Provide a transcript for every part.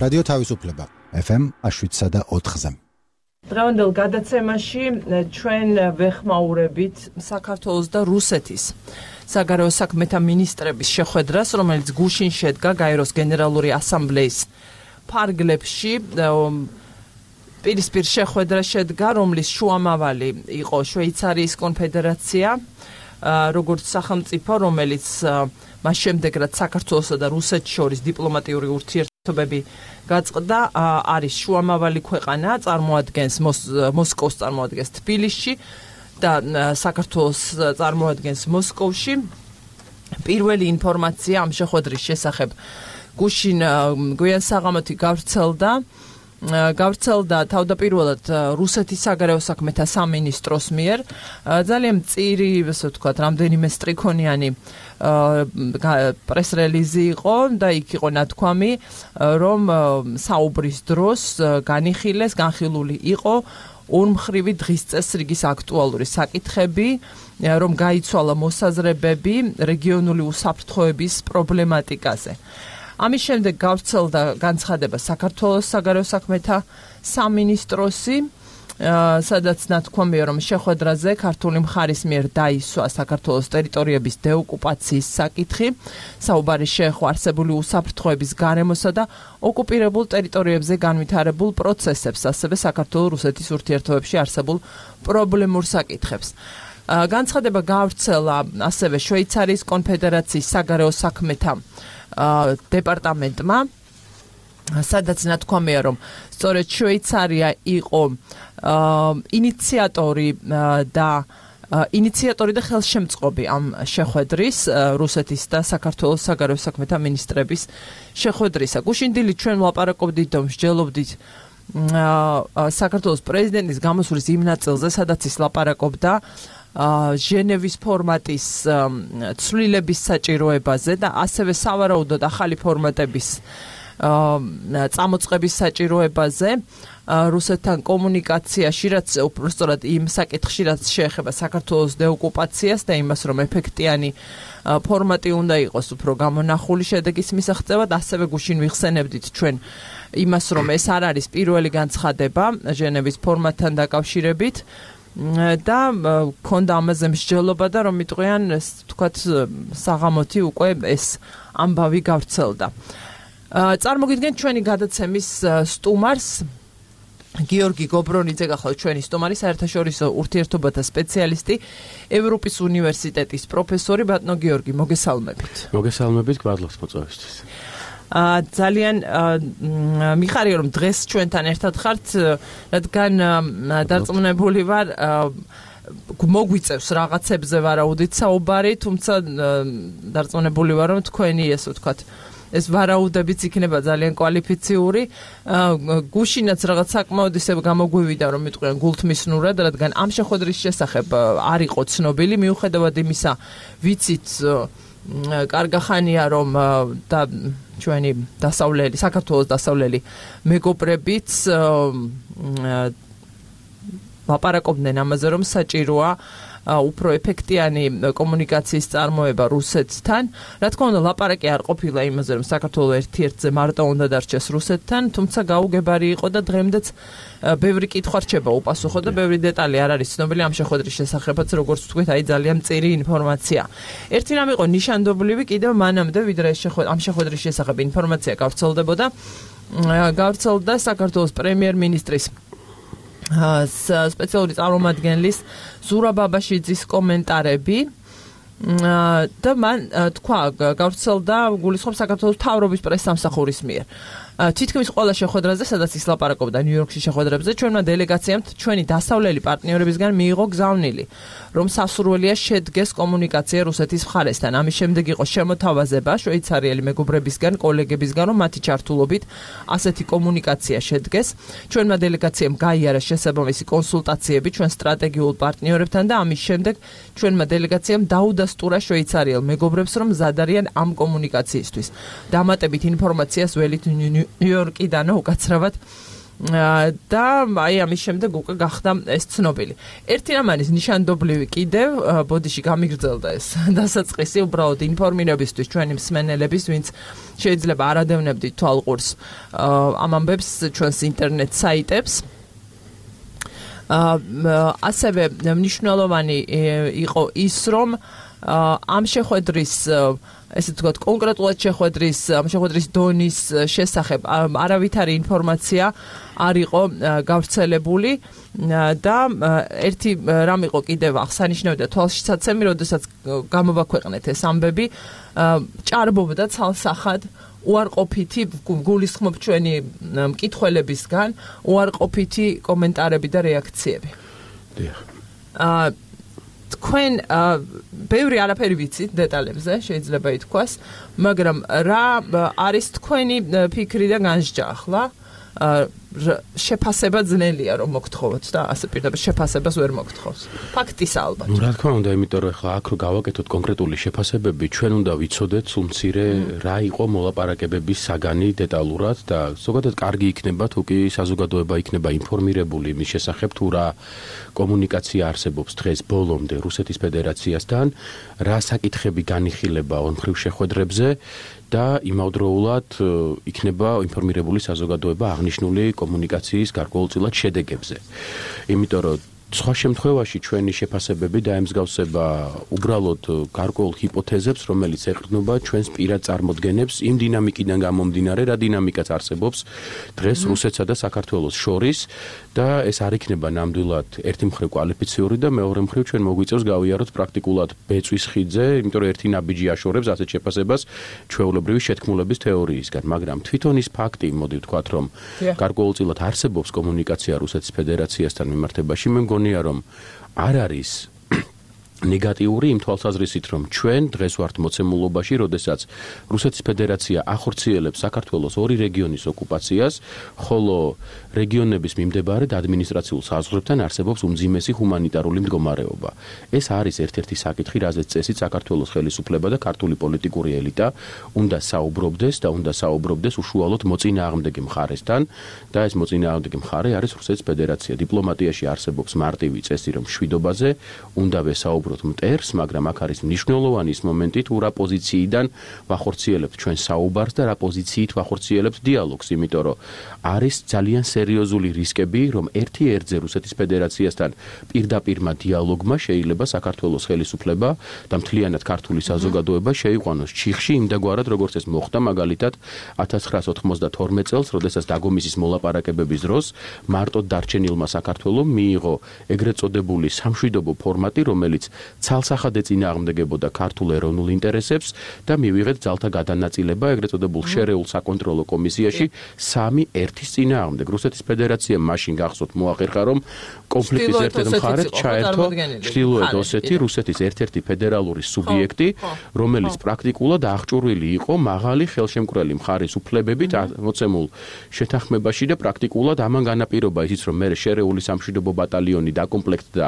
რადიო თავისუფლება FM 7.4-ზე. დღევანდელ გადაცემაში ჩვენ ვეხმაურებით საქართველოს და რუსეთის საგარეო საქმეთა მინისტრების შეხვედრას, რომელიც გუშინ შედგა გაეროს გენერალური ასამბლეის ფარგლებში. პირისპირ შეხვედრა შედგა, რომლის შუამავალი იყო შვეიცარიის კონფედერაცია, როგორც სახელმწიფო, რომელიც მას შემდეგ, რაც საქართველოსა და რუსეთს შორის დიპლომატიური ურთიერთობები გაწყდა, არის შუამავალი ქვეყანა, წარმოადგენს მოსკოვს წარმოადგენს თბილისში და საქართველოს წარმოადგენს მოსკოვში. პირველი ინფორმაცია ამ შეხვედრის შესახებ გუშინ გვიან საღამოთი გავრცელდა თავდაპირველად რუსეთის საგარეო საქმეთა სამინისტროს მიერ. ძალიან მწირი, ასე ვთქვათ, რამდენიმე სტრიქონიანი პრეს-რელიზი იყო და იქ იყო ნათქვამი, რომ საუბრის დროს განხილული იყო ორმხრივი დღის წესრიგის აქტუალური საკითხები, რომ გაიცვალა მოსაზრებები რეგიონული უსაფრთხოების პრობლემატიკაზე. ამის შემდეგ გავრცელდა განცხადება საქართველოს საგარეო საქმეთა სამინისტროსი, სადაც ნათქვამია, რომ შეხვედრაზე ქართული მხარის მიერ დაისვა საქართველოს ტერიტორიების დეოკუპაციის საკითხი, საუბარი შეეხო არსებული უსაფრთხოების გარემოსა და ოკუპირებულ ტერიტორიებზე განვითარებულ პროცესებს, ასევე საქართველოს-რუსეთის ურთიერთობებში არსებულ პრობლემურ საკითხებს. განცხადება გავრცელა ასევე შვეიცარიის კონფედერაციის საგარეო საქმეთა დეპარტამენტმა, სადაც ნათქვამია, რომ სწორედ შვეიცარია იყო ინიციატორი და ხელშემწყობი ამ შეხვედრის, რუსეთის და საქართველოს საგარეო საქმეთა მინისტრების შეხვედრისა. გუშინ დილით ჩვენ ვლაპარაკობდით და მსჯელობდით საქართველოს პრეზიდენტის გამოსვლის იმ ნაწილზე, სადაც ის ლაპარაკობდა ჟენევის ფორმატის ცვლილების საჭიროებაზე და ასევე სავარაუდოდ ახალი ფორმატების წამოწყების საჭიროებაზე რუსეთთან კომუნიკაციაში, რაც უბრალოდ იმ საკითხში, რაც შეეხება საქართველოს დეოკუპაციას და იმას, რომ ეფექტიანი ფორმატი უნდა იყოს უფრო გამონახული შედეგის მისაღწევად, ასევე გუშინ ვიხსენებდით ჩვენ იმას, რომ ეს არ არის პირველი განცხადება ჟენევის ფორმატთან დაკავშირებით და ქონდა ამაზე მსჯელობა და რომ მიტყვიან, თქვათ, საღამოთი უკვე ეს ამბავი გავრცელდა. წარმოგიდგენთ ჩვენი გადაცემის სტუმარს, გიორგი გობრონიძე გახლავთ ჩვენი სტუმარი, საერთაშორისო ურთიერთობათა სპეციალისტი, ევროპის უნივერსიტეტის პროფესორი. ბატონო გიორგი, მოგესალმებით. მოგესალმებით, გვადლობს მოწვევისთვის. ძალიან მიხარია, რომ დღეს ჩვენთან ერთად ხართ, რადგან დარწმუნებული ვარ, მოგვიწევს რაღაცებზე ვარაუდით საუბარი, თუმცა დარწმუნებული ვარ, რომ თქვენი, ესე ვთქვათ, ეს ვარაუდებიც იქნება ძალიან კვალიფიციური. გუშინაც რაღაც საკმაოდ ისე გამოგვივიდა, რომ მიტყვიან გულთმისნურად, რადგან ამ შეხვედრის შესახებ არ იყო ცნობილი, მიუხედავად იმისა, ვიცით კარგახანია, რომ და ჩვენი დასავლელი, საქართველოს დასავლელი მეგობრებიც ლაპარაკობდნენ ამაზე, რომ საჭიროა უფრო ეფექტიანი კომუნიკაციის წარმოება რუსეთთან. რა თქმა უნდა, ლაპარაკი არ ყოფილა იმაზე, რომ საქართველოს ერთ-ერთზე მარტო უნდა დარჩეს რუსეთთან, თუმცა გაუგებარი იყო და დღემდეც ბევრი კითხვა რჩება უპასუხო და ბევრი დეტალი არ არის ცნობილი ამ შეხვედრის შესახებაც, როგორც ვთქვით, ძალიან მწირი ინფორმაცია. ერთი რამ იყო ნიშანდობლივი კიდევ მანამდე, ვიდრე ამ შეხვედრის შესახებ ინფორმაცია გავრცელდებოდა, გავრცელდა საქართველოს პრემიერ-მინისტრის სპეციალური წარმომადგენლის ზურაბ ბაბაშიძის კომენტარები და მან თქვა, გავრცელდა გულისხმობს საქართველოს მთავრობის პრესსამსახურის მიერ. თითქმის ყველა შეხვედრაზე, სადაც ის ლაპარაკობდა ნიუ-იორკში შეხვედრებზე, ჩვენმა დელეგაციამ ჩვენი დასავლელი პარტნიორებისგან მიიღო გზავნილი, რომ სასურველია შედგეს კომუნიკაცია რუსეთის მხარესთან. ამის შემდეგ იყო შემოთავაზება შვეიცარიელი მეგობრებისგან, კოლეგებისგან, რომ მათი ჩართულობით ასეთი კომუნიკაცია შედგეს. ჩვენმა დელეგაციამ გაიარა შესაბამისი კონსულტაციები ჩვენ სტრატეგიულ პარტნიორებთან და ამის შემდეგ ჩვენმა დელეგაციამ დაუდასტურა შვეიცარიელ მეგობრებს, რომ მზად არიან ამ კომუნიკაციისთვის. დამატებით ინფორმაციას ველით ნიუ-იორკიდან უკაცრავად და აი ამის შემდეგ უკვე გახდა ეს ცნობილი. ერთი რამ არის ნიშანდობლივი კიდევ, ბოდიში გამიგრძელდა ეს დასაწყისი უბრალოდ ინფორმირებისთვის ჩვენი მსმენელების, ვინც შეიძლება არ ადევნებდით თვალყურს ამ ამბებს ჩვენს ინტერნეტ საიტებს. ასევე მნიშვნელოვანი იყო ის, რომ ამ შეხვედრის ესე ვთქვათ, კონკრეტულად შეხვედრის დონის შესახებ არავითარი ინფორმაცია არ იყო გავრცელებული და ერთი რამ იყო კიდევ აღსანიშნავი და თვალშისაცემი, როდესაც გამოვაქვეყნეთ ეს ამბები, ჭარბობდა ცალსახად უარყოფითი, გულისხმობ ჩვენი მკითხველებისგან, უარყოფითი კომენტარები და რეაქციები. დიახ. თქვენ ბევრი არაფერი ვიცით დეტალებზე, შეიძლება ითქვას, მაგრამ რა არის თქვენი ფიქრი და განსჯა ახლა? შეფასება ძნელია რომ მოგთხოვოთ და ასე პირდაპირ შეფასებას ვერ მოგთხოვს. ფაქტის ალბათ. რა თქმა უნდა, იმიტომ რომ ახლა აქ რო გავაკეთოთ კონკრეტული შეფასებები, ჩვენ უნდა ვიცოდეთ სულ მცირე რა იყო მოლაპარაკებების საგანი დეტალურად და ზოგადად კარგი იქნება თუ კი საზოგადოება იქნება ინფორმირებული იმის შესახებ თუ რა კომუნიკაცია არსებობს დღეს ბოლომდე რუსეთის ფედერაციასთან, რა საკითხები განიხილება ორმხრივ შეხვედრებზე და იმავდროულად იქნება ინფორმირებული საზოგადოება აღნიშნული კომუნიკაციის გარკვეულწილად შედეგებზე. იმიტომ რომ სხვა შემთხვევაში ჩვენი შეფასებები დაემსგავსება უბრალოდ გარკვეულ ჰიპოთეზებს, რომელიც ეყრდნობა ჩვენს პირად წარმოდგენებს იმ დინამიკიდან გამომდინარე, რა დინამიკაც არსებობს დღეს რუსეთსა და საქართველოს შორის და ეს არ იქნება ნამდვილად ერთი მხრივ კვალიფიციური და მეორე მხრივ ჩვენ მოგვიწევს გავიაროთ პრაქტიკულად ბეწვის ხიდზე, იმიტომ რომ ერთი ნაბიჯი აშორებს ასეთ შეფასებას ჩვეულებრივი შეთქმულების თეორიისგან, მაგრამ თვითონ ის ფაქტი, მოდი ვთქვათ, რომ გარკვეულწილად არსებობს კომუნიკაცია რუსეთის ფედერაციასთან მიმართებაში, მე მგონია რომ არ არის ნეგატიური იმ თვალსაზრისით, რომ ჩვენ დღეს ვართ მოცემულობაში, როდესაც რუსეთის ფედერაცია ახორციელებს საქართველოს ორი რეგიონის ოკუპაციას, ხოლო რეგიონების მიმდებარედ ადმინისტრაციულ საზღვრებთან არსებობს უმძიმესი ჰუმანიტარული მდგომარეობა. ეს არის ერთ-ერთი საკითხი, რაზეც წესით საქართველოს ხელისუფლება და ქართული პოლიტიკური ელიტა უნდა საუბრობდეს და უნდა საუბრობდეს უშუალოდ მოწინააღმდეგე მხარესთან და ეს მოწინააღმდეგე მხარე არის რუსეთის ფედერაცია. დიპლომატიაში არსებობს მარტივი წესი, რომ მშვიდობაზე უნდა ვესაუბროთ მტერს, მაგრამ აქ არის მნიშვნელოვანი ის მომენტი, თუ რა პოზიციიდან ვახორციელებთ ჩვენ საუბარს და რა პოზიციით ვახორციელებთ დიალოგს, იმიტომ რომ არის ძალიან სერიოზული რისკები, რომ ერთი ერთზე რუსეთის ფედერაციასთან პირდაპირმა დიალოგმა შეიძლება საქართველოს ხელისუფლება და მთლიანად ქართული საზოგადოება შეიყვანოს ჩიხში იმდაგვარად, როგორც ეს მოხდა მაგალითად 1992 წელს, როდესაც დაგომისის მოლაპარაკებების დროს მარტოდ დარჩენილმა საქართველომ მიიღო ეგრეთ წოდებული სამშვიდობო ფორმატი, რომელიც ცალსახად ეწინააღმდეგებოდა ქართულ ეროვნულ ინტერესებს და მივიღეთ ძალთა გადანაწილება ეგრეთ წოდებულ შერეულ საკონტროლო კომისიაში 3-1-ის წინააღმდეგ. რუსეთის ფედერაციამ მაშინ გახსოვთ მოახერხა, რომ კონფლიქტის ერთ-ერთ მხარეს ჩაერთო ჩრდილოეთ ოსეთი, რუსეთის ერთ-ერთი ფედერალური სუბიექტი, რომელიც პრაქტიკულად აღჭურვილი იყო მაღალი ხელშემკვრელი მხარის უფლებებით მოცემულ შეთანხმებაში და პრაქტიკულად ამან განაპირობა ისიც, რომ მე შერეული სამშვიდობო ბატალიონი დაკომპლექტდა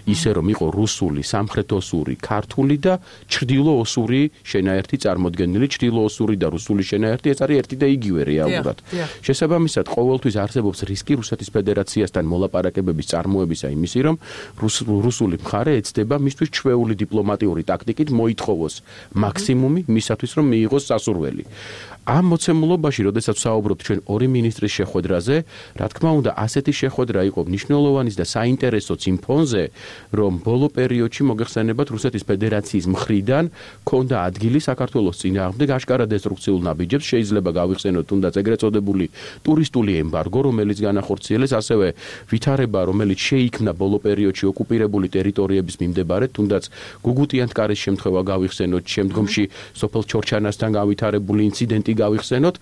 ისე, რომ იყო რუსული, სამხრეთოსური, ქართული და ჩრდილოოსური შენაერთი წარმოდგენილი, ჩრდილოოსური და რუსული შენაერთი, ეს არის ერთი და იგივე რეალურად. შესაბამისად, ყოველთვის არსებობს რისკი რუსეთის ფედერაციასთან მოლაპარაკებების წარმოებისა იმისი, რომ რუსული მხარე ეცდება მისთვის ჩვეული დიპლომატიური ტაქტიკით მოითხოვოს მაქსიმუმი მისათვის, რომ მიიღოს სასურველი. ამ მოცემულობაში, როდესაც საუბრობთ ჩვენ ორი მინისტრის შეხვედრაზე, რა თქმა უნდა, ასეთი შეხვედრა იყო მნიშვნელოვანის და საინტერესოც იმ ფონზე, რომ ბოლო პერიოდში მოგეხსენებათ რუსეთის ფედერაციის მხრიდან ქონდა ადგილი საქართველოს წინააღმდეგ აშკარა დესტრუქციულ ნაბიჯებს, შეიძლება გავიხსენოთ თუნდაც ეგრეთ წოდებული ტურისტული ემბარგო, რომელიც განახორციელეს, ასევე ვითარება, რომელიც შეიქმნა ბოლო პერიოდში ოკუპირებული ტერიტორიების მიმდებარედ, თუნდაც გუგუტიანთკარის შემთხვევა გავიხსენოთ, შემდგომში სოფელ ჩორჩანასთან გავითარებული ინციდენტი გავიხსენოთ.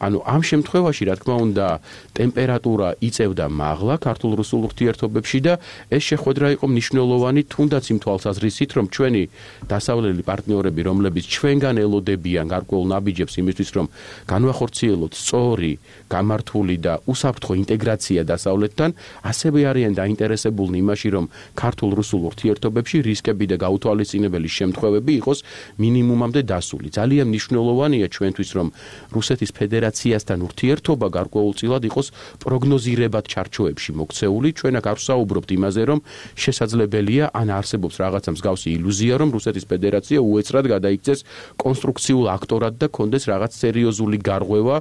ანუ ამ შემთხვევაში, რა თქმა უნდა, ტემპერატურა იწევდა მაღლა ქართულ-რუსულ ურთიერთობებში და ეს შეხვედრა იყო მნიშვნელოვანი თუნდაც იმ თვალსაზრისით, რომ ჩვენი დასავლელი პარტნიორები, რომლებიც ჩვენგან ელოდებიან გარკვეულ ნაბიჯებს იმისთვის, რომ განვახორციელოთ სწორი, გამართული და უსაფრთხო ინტეგრაცია დასავლეთთან, ასევე არიან დაინტერესებულნი იმაში, რომ ქართულ-რუსულ ურთიერთობებში რისკები და გაუთვალისწინებელი შემთხვევები იყოს მინიმუმამდე დასული. ძალიან მნიშვნელოვანია ჩვენთვის, რომ რუსეთის ფედერაციასთან ურთიერთობა გარკვეულწილად იყოს პროგნოზირებად ჩარჩოებში მოქცეული. ჩვენ აქ არ ვსაუბრობთ იმაზე, რომ შესაძლებელია ან არსებობს რაღაცა მსგავსი ილუზია, რომ რუსეთის ფედერაცია უეცრად გადაიქცეს კონსტრუქციულ აქტორად და კონდეს რაღაც სერიოზული გარღვევა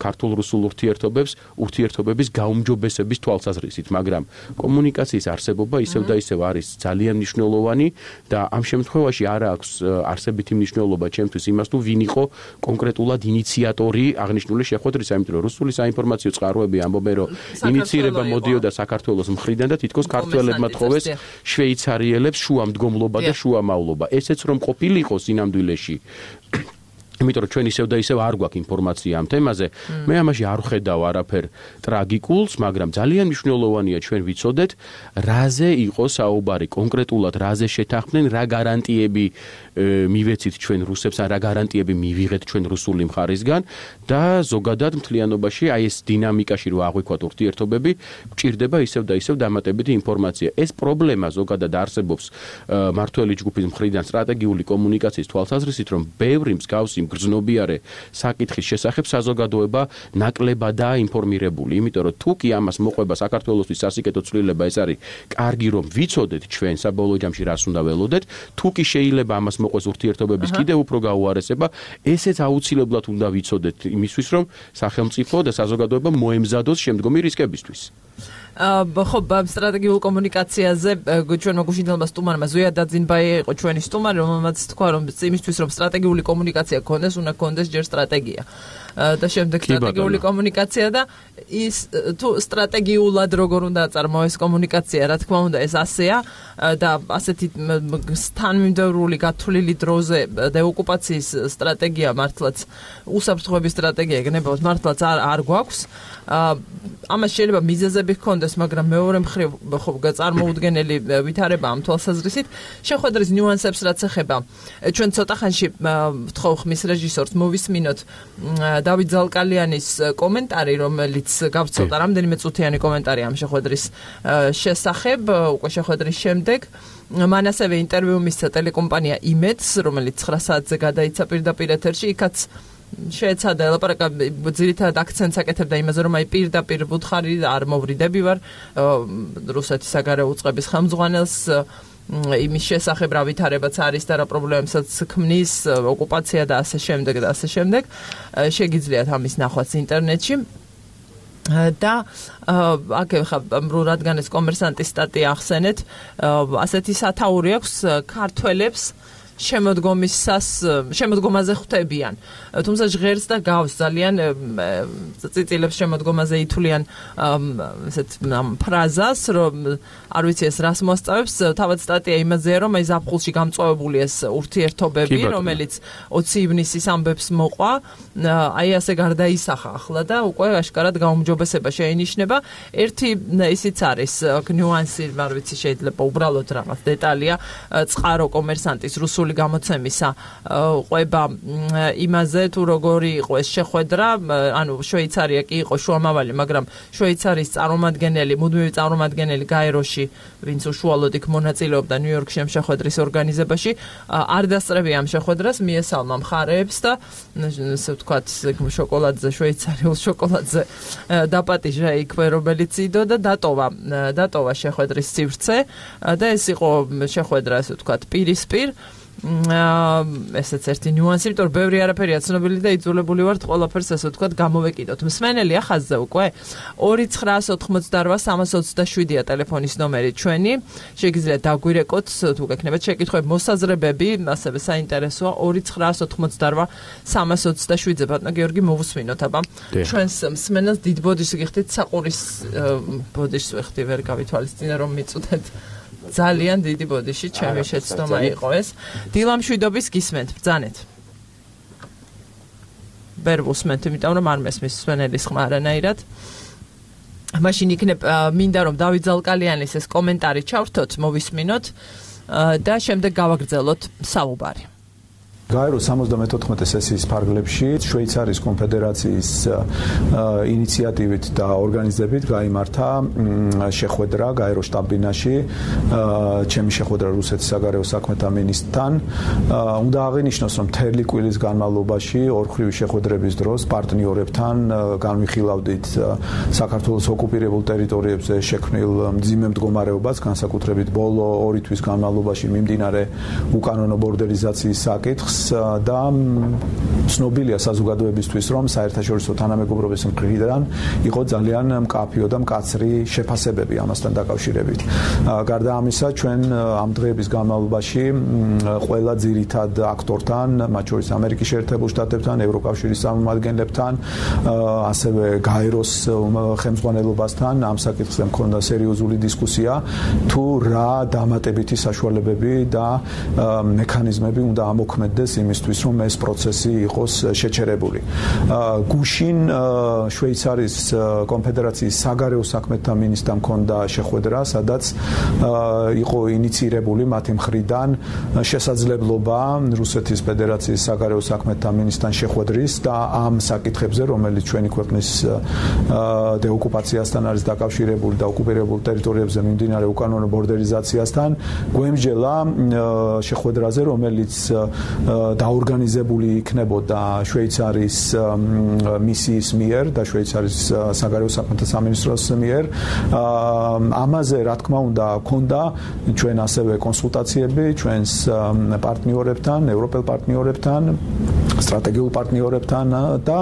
ქართულ-რუსულ ურთიერთობების გაუმჯობესების თვალსაზრისით, მაგრამ კომუნიკაციის არსებობა ისევ და ისევ არის ძალიან მნიშვნელოვანი და ამ შემთხვევაში არ აქვს არსებითი მნიშვნელობა ჩემთვის იმას, თუ ვინ იყო კონკრეტულად ინიციატორი აღნიშნული შეხვედრისა, იმიტომ რომ რუსული საინფორმაციო წყაროები ამბობენ, რომ ინიცირება მოდიოდა საქართველოს მხრიდან და თითქოს ქართველებმა თხოვეს შვეიცარიელებს შუამდგომლობა და შუამავლობა. ესეც რომ ყოფილიყო სინამდვილეში იმიტომ რომ ჩვენ ისევ და ისევ არ გვაქვს ინფორმაცია ამ თემაზე, მე ამაში არ ვხედავ არაფერ ტრაგიკულს, მაგრამ ძალიან მნიშვნელოვანია ჩვენ ვიცოდეთ, რაზე იყო საუბარი კონკრეტულად, რაზე შეთანხმდნენ, რა გარანტიები მივეცით ჩვენ რუსებს, რა გარანტიები მივიღეთ ჩვენ რუსული მხარისგან და ზოგადად მთლიანობაში აი ეს დინამიკაში რო აღვიქვათ ურთიერთობები, გვჭირდება ისევ და ისევ დამატებითი ინფორმაცია. ეს პრობლემა ზოგადად არსებობს მართველი ჯგუფის მხრიდან სტრატეგიული კომუნიკაციის თვალსაზრისით, რომ ბევრი მსგავსი გრძნობიარე საკითხის შესახებ საზოგადოება ნაკლებადაა ინფორმირებული, იმიტომ რომ თუ კი ამას მოყვება საქართველოსთვის სასიკეთო ცვლილება ეს არის კარგი რომ ვიცოდეთ ჩვენ საბოლოო ჯამში რას უნდა ველოდეთ, თუ კი შეიძლება ამას მოყვეს ურთიერთობების კიდევ უფრო გაუარესება, ესეც აუცილებლად უნდა ვიცოდეთ იმისთვის რომ სახელმწიფო და საზოგადოება მოემზადოს შემდგომი რისკებისთვის. ხო, სტრატეგიულ კომუნიკაციაზე ჩვენმა გუშინდელმა სტუმარმა ზვია დაძინბაია იყო ჩვენი სტუმარი, რომელმაც თქვა, რომ იმისთვის რომ სტრატეგიული კომუნიკაცია გქონდეს, უნდა გქონდეს ჯერ სტრატეგია. და შემდეგ სტრატეგიული კომუნიკაცია და ის თუ სტრატეგიულად როგორ უნდა აწარმოეს კომუნიკაცია, რა თქმა უნდა, ეს ასეა და ასეთი თანმიმდევრული გათვლილი დროზე დეოკუპაციის სტრატეგია მართლაც უსაფრთხოების სტრატეგია გნებავთ მართლაც არ გვაქვს. ამას შეიძლება მიზეზები ჰქონდეს, მაგრამ მეორე მხრივ ხო წარმოუდგენელი ვითარება ამ თვალსაზრისით. შეხვედრის ნიუანსებს რაც ეხება, ჩვენ ცოტა ხანში ვთხოვ ხმის რეჟისორს მოვისმინოთ დავით ზალკალიანის კომენტარი, რომელიც გავცელდა რამდენიმე წუთიანი კომენტარი ამ შეხვედრის შესახებ, უკვე შეხვედრის შემდეგ. მან ასევე ინტერვიუ მისცა ტელეკომპანია იმედს, რომელიც 9 საათზე გადაიცა პირდაპირ ეთერში, იქაც შეეცადა ელაპარაკა ძირითადად აქცენტს აკეთებდა იმაზე, რომ აი პირდაპირ ვუთხარი არ მოვრიდები ვარ რუსეთის საგარეო უწყების ხელმძღვანელს იმის შესახებ რა ვითარებაც არის და რა პრობლემებსაც ქმნის ოკუპაცია და ასე შემდეგ და ასე შემდეგ. შეგიძლიათ ამის ნახვაც ინტერნეტში. და აქ რადგან ეს კომერსანტის სტატია ახსენეთ, ასეთი სათაური აქვს ქართველებს შემოდგომაზე ხვდებიან. თუმცა ჟღერს და გავს ძალიან წიწილებს შემოდგომაზე ითვლიან ესეთ ფრაზას, რომ არ ვიცი ეს რას მოსწავებს, თავად სტატია იმაზეა, რომ აი ზაფხულში გამწვავებული ეს ურთიერთობები, რომელიც 20 ივნისის ამბებს მოყვა, აი ასე გარდაისახა ახლა და უკვე აშკარად გაუმჯობესება შეინიშნება. ერთი ისიც არის ნიუანსი, არ ვიცი, შეიძლება უბრალოდ რაღაც დეტალია, წყარო კომერსანტის რუსული გამოცემისა ყვება იმაზე, თუ როგორი იყო ეს შეხვედრა, ანუ შვეიცარია კი იყო შუამავალი, მაგრამ შვეიცარიის წარმომადგენელი, მუდმივი წარმომადგენელი გაეროში, ვინც უშუალოდ იქ მონაწილეობდა ნიუ-იორკში ამ შეხვედრის ორგანიზებაში, არ დასწრებია ამ შეხვედრას, მიესალმა მხარეებს და ესე ვთქვათ, შოკოლადზე, შვეიცარიულ შოკოლადზე დაპატიჟა იქვე, რომელიც იდო და დატოვა შეხვედრის სივრცე და ეს იყო შეხვედრა, ესე ვთქვათ, პირისპირ. ესეც ერთი ნიუანსი, იმიტომ რომ ბევრი არაფერია ცნობილი და იძულებული ვართ ყველაფერს ესე ვთქვათ გამოვეკიდოთ. მსმენელია ხაზზე უკვე 2988327-ია ტელეფონის ნომერი ჩვენი. შეგიძლიათ დაგვირეკოთ თუ გექნებათ შეკითხვები, მოსაზრებები, ასევე საინტერესოა 2988327-ზე. ბატონო გიორგი, მოვუსმინოთ აბა. ჩვენს მსმენელს დიდ ბოდიშს გიხდით, საყურის ბოდიშს ვეხდი, ვერ გავითვალისწინე რომ მიწუთეთ. ძალიან დიდი ბოდიში, ჩემი შეცდომა იყო ეს. დილამშვიდობის გისმენთ, ბრძანეთ. ვერ ვუსმენთ, იმიტომ რომ არ მესმის მსმენელის ხმა არანაირად. მაშინ იქნებ მინდა რომ დავით ზალკალიანის ეს კომენტარი ჩავრთოთ, მოვისმინოთ. და შემდეგ გავაგრძელოთ საუბარი. გაეროს 74 სესიის ფარგლებში შვეიცარიის კონფედერაციის ინიციატივით და ორგანიზებით გაიმართა შეხვედრა გაეროს შტაბ-ბინაში ჩემი შეხვედრა რუსეთის საგარეო საქმეთა მინისტრთან. უნდა აღინიშნოს, რომ მთელი კვირის განმავლობაში ორხრივი შეხვედრების დროს პარტნიორებთან განვიხილავდით საქართველოს ოკუპირებულ ტერიტორიებზე შექმნილ მძიმე მდგომარეობას, განსაკუთრებით ბოლო 2 თვის განმავლობაში მიმდინარე უკანონო ბორდერიზაციის საკითხს და ცნობილია საზოგადოებისთვის, რომ საერთაშორისო თანამეგობრობის მხრიდან იყო ძალიან მკაფიო და მკაცრი შეფასებები ამასთან დაკავშირებით. გარდა ამისა, ჩვენ ამ დღეების განმავლობაში ყველა ძირითად აქტორთან, მათ შორის ამერიკის შეერთებულ შტატებთან, ევროკავშირის წარმომადგენლებთან, ასევე გაეროს ხელმძღვანელობასთან ამ საკითხზე მქონდა სერიოზული დისკუსია, თუ რა დამატებითი საშუალებები და მექანიზმები უნდა ამოქმედდეს იმისთვის, რომ ეს პროცესი იყოს შეჩერებული. გუშინ შვეიცარიის კონფედერაციის საგარეო საქმეთა მინისტრთან მქონდა შეხვედრა, სადაც იყო ინიციირებული მათი მხრიდან შესაძლებლობა რუსეთის ფედერაციის საგარეო საქმეთა მინისტრთან შეხვედრის და ამ საკითხებზე, რომელიც ჩვენი ქვეყნის დეოკუპაციასთან არის დაკავშირებული და ოკუპირებულ ტერიტორიებზე მიმდინარე უკანონო ბორდერიზაციასთან, გვემსჯელა შეხვედრაზე, რომელიც დაორგანიზებული იქნებოდა შვეიცარიის მისიის მიერ და შვეიცარიის საგარეო საქმეთა სამინისტროს მიერ. ამაზე, რა თქმა უნდა, ქონდა ჩვენ ასევე კონსულტაციები ჩვენს პარტნიორებთან, ევროპელ პარტნიორებთან, სტრატეგიულ პარტნიორებთან და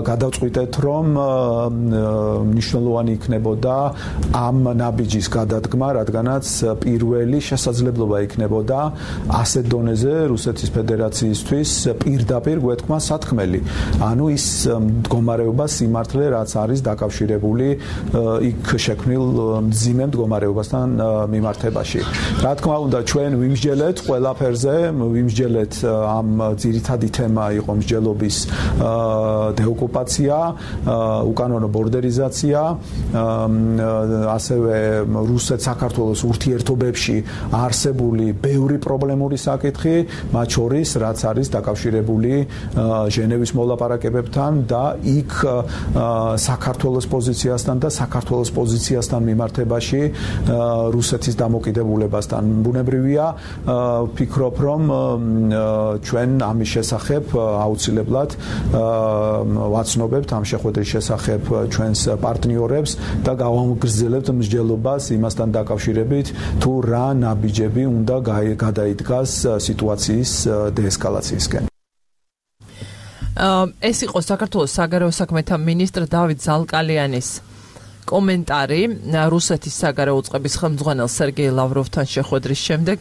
გადავწყვიტეთ, რომ მნიშვნელოვანი იქნებოდა ამ ნაბიჯის გადადგმა, რადგანაც პირველი შესაძლებლობა იქნებოდა ასეთ დონეზე რუსეთის ფედერაციისთვის პირდაპირ გვეთქმა სათქმელი. ანუ ის მდგომარეობა სიმართლე, რაც არის დაკავშირებული იქ შექმნილ მძიმე მდგომარეობასთან მიმართებაში. რა თქმა უნდა, ჩვენ ვიმსჯელეთ ყველაფერზე, ვიმსჯელეთ ამ ძირითადი თემა იყო მსჯელობის დეოკუპაცია, უკანონო ბორდერიზაცია, ასევე რუსეთ-საქართველოს ურთიერთობებში არსებული ბევრი პრობლემური საკითხი, მათ შორის რაც არის დაკავშირებული ჟენევის მოლაპარაკებებთან და იქ საქართველოს პოზიციასთან და საქართველოს პოზიციასთან მიმართებაში რუსეთის დამოკიდებულებასთან. ბუნებრივია, ვფიქრობ, რომ ჩვენ ამის შესახებ აუცილებლად ვაცნობებთ ამ შეხვედრის შესახებ ჩვენს პარტნიორებს და გავამგრძელებთ მსჯელობას იმასთან დაკავშირებით, თუ რა ნაბიჯები უნდა გადაიდგას სიტუაციის დეესკალაციისკენ. ეს იყო საქართველოს საგარეო საქმეთა მინისტრ დავით ზალკალიანის კომენტარი რუსეთის საგარეო უწყების ხელმძღვანელ სერგეი ლავროვთან შეხვედრის შემდეგ.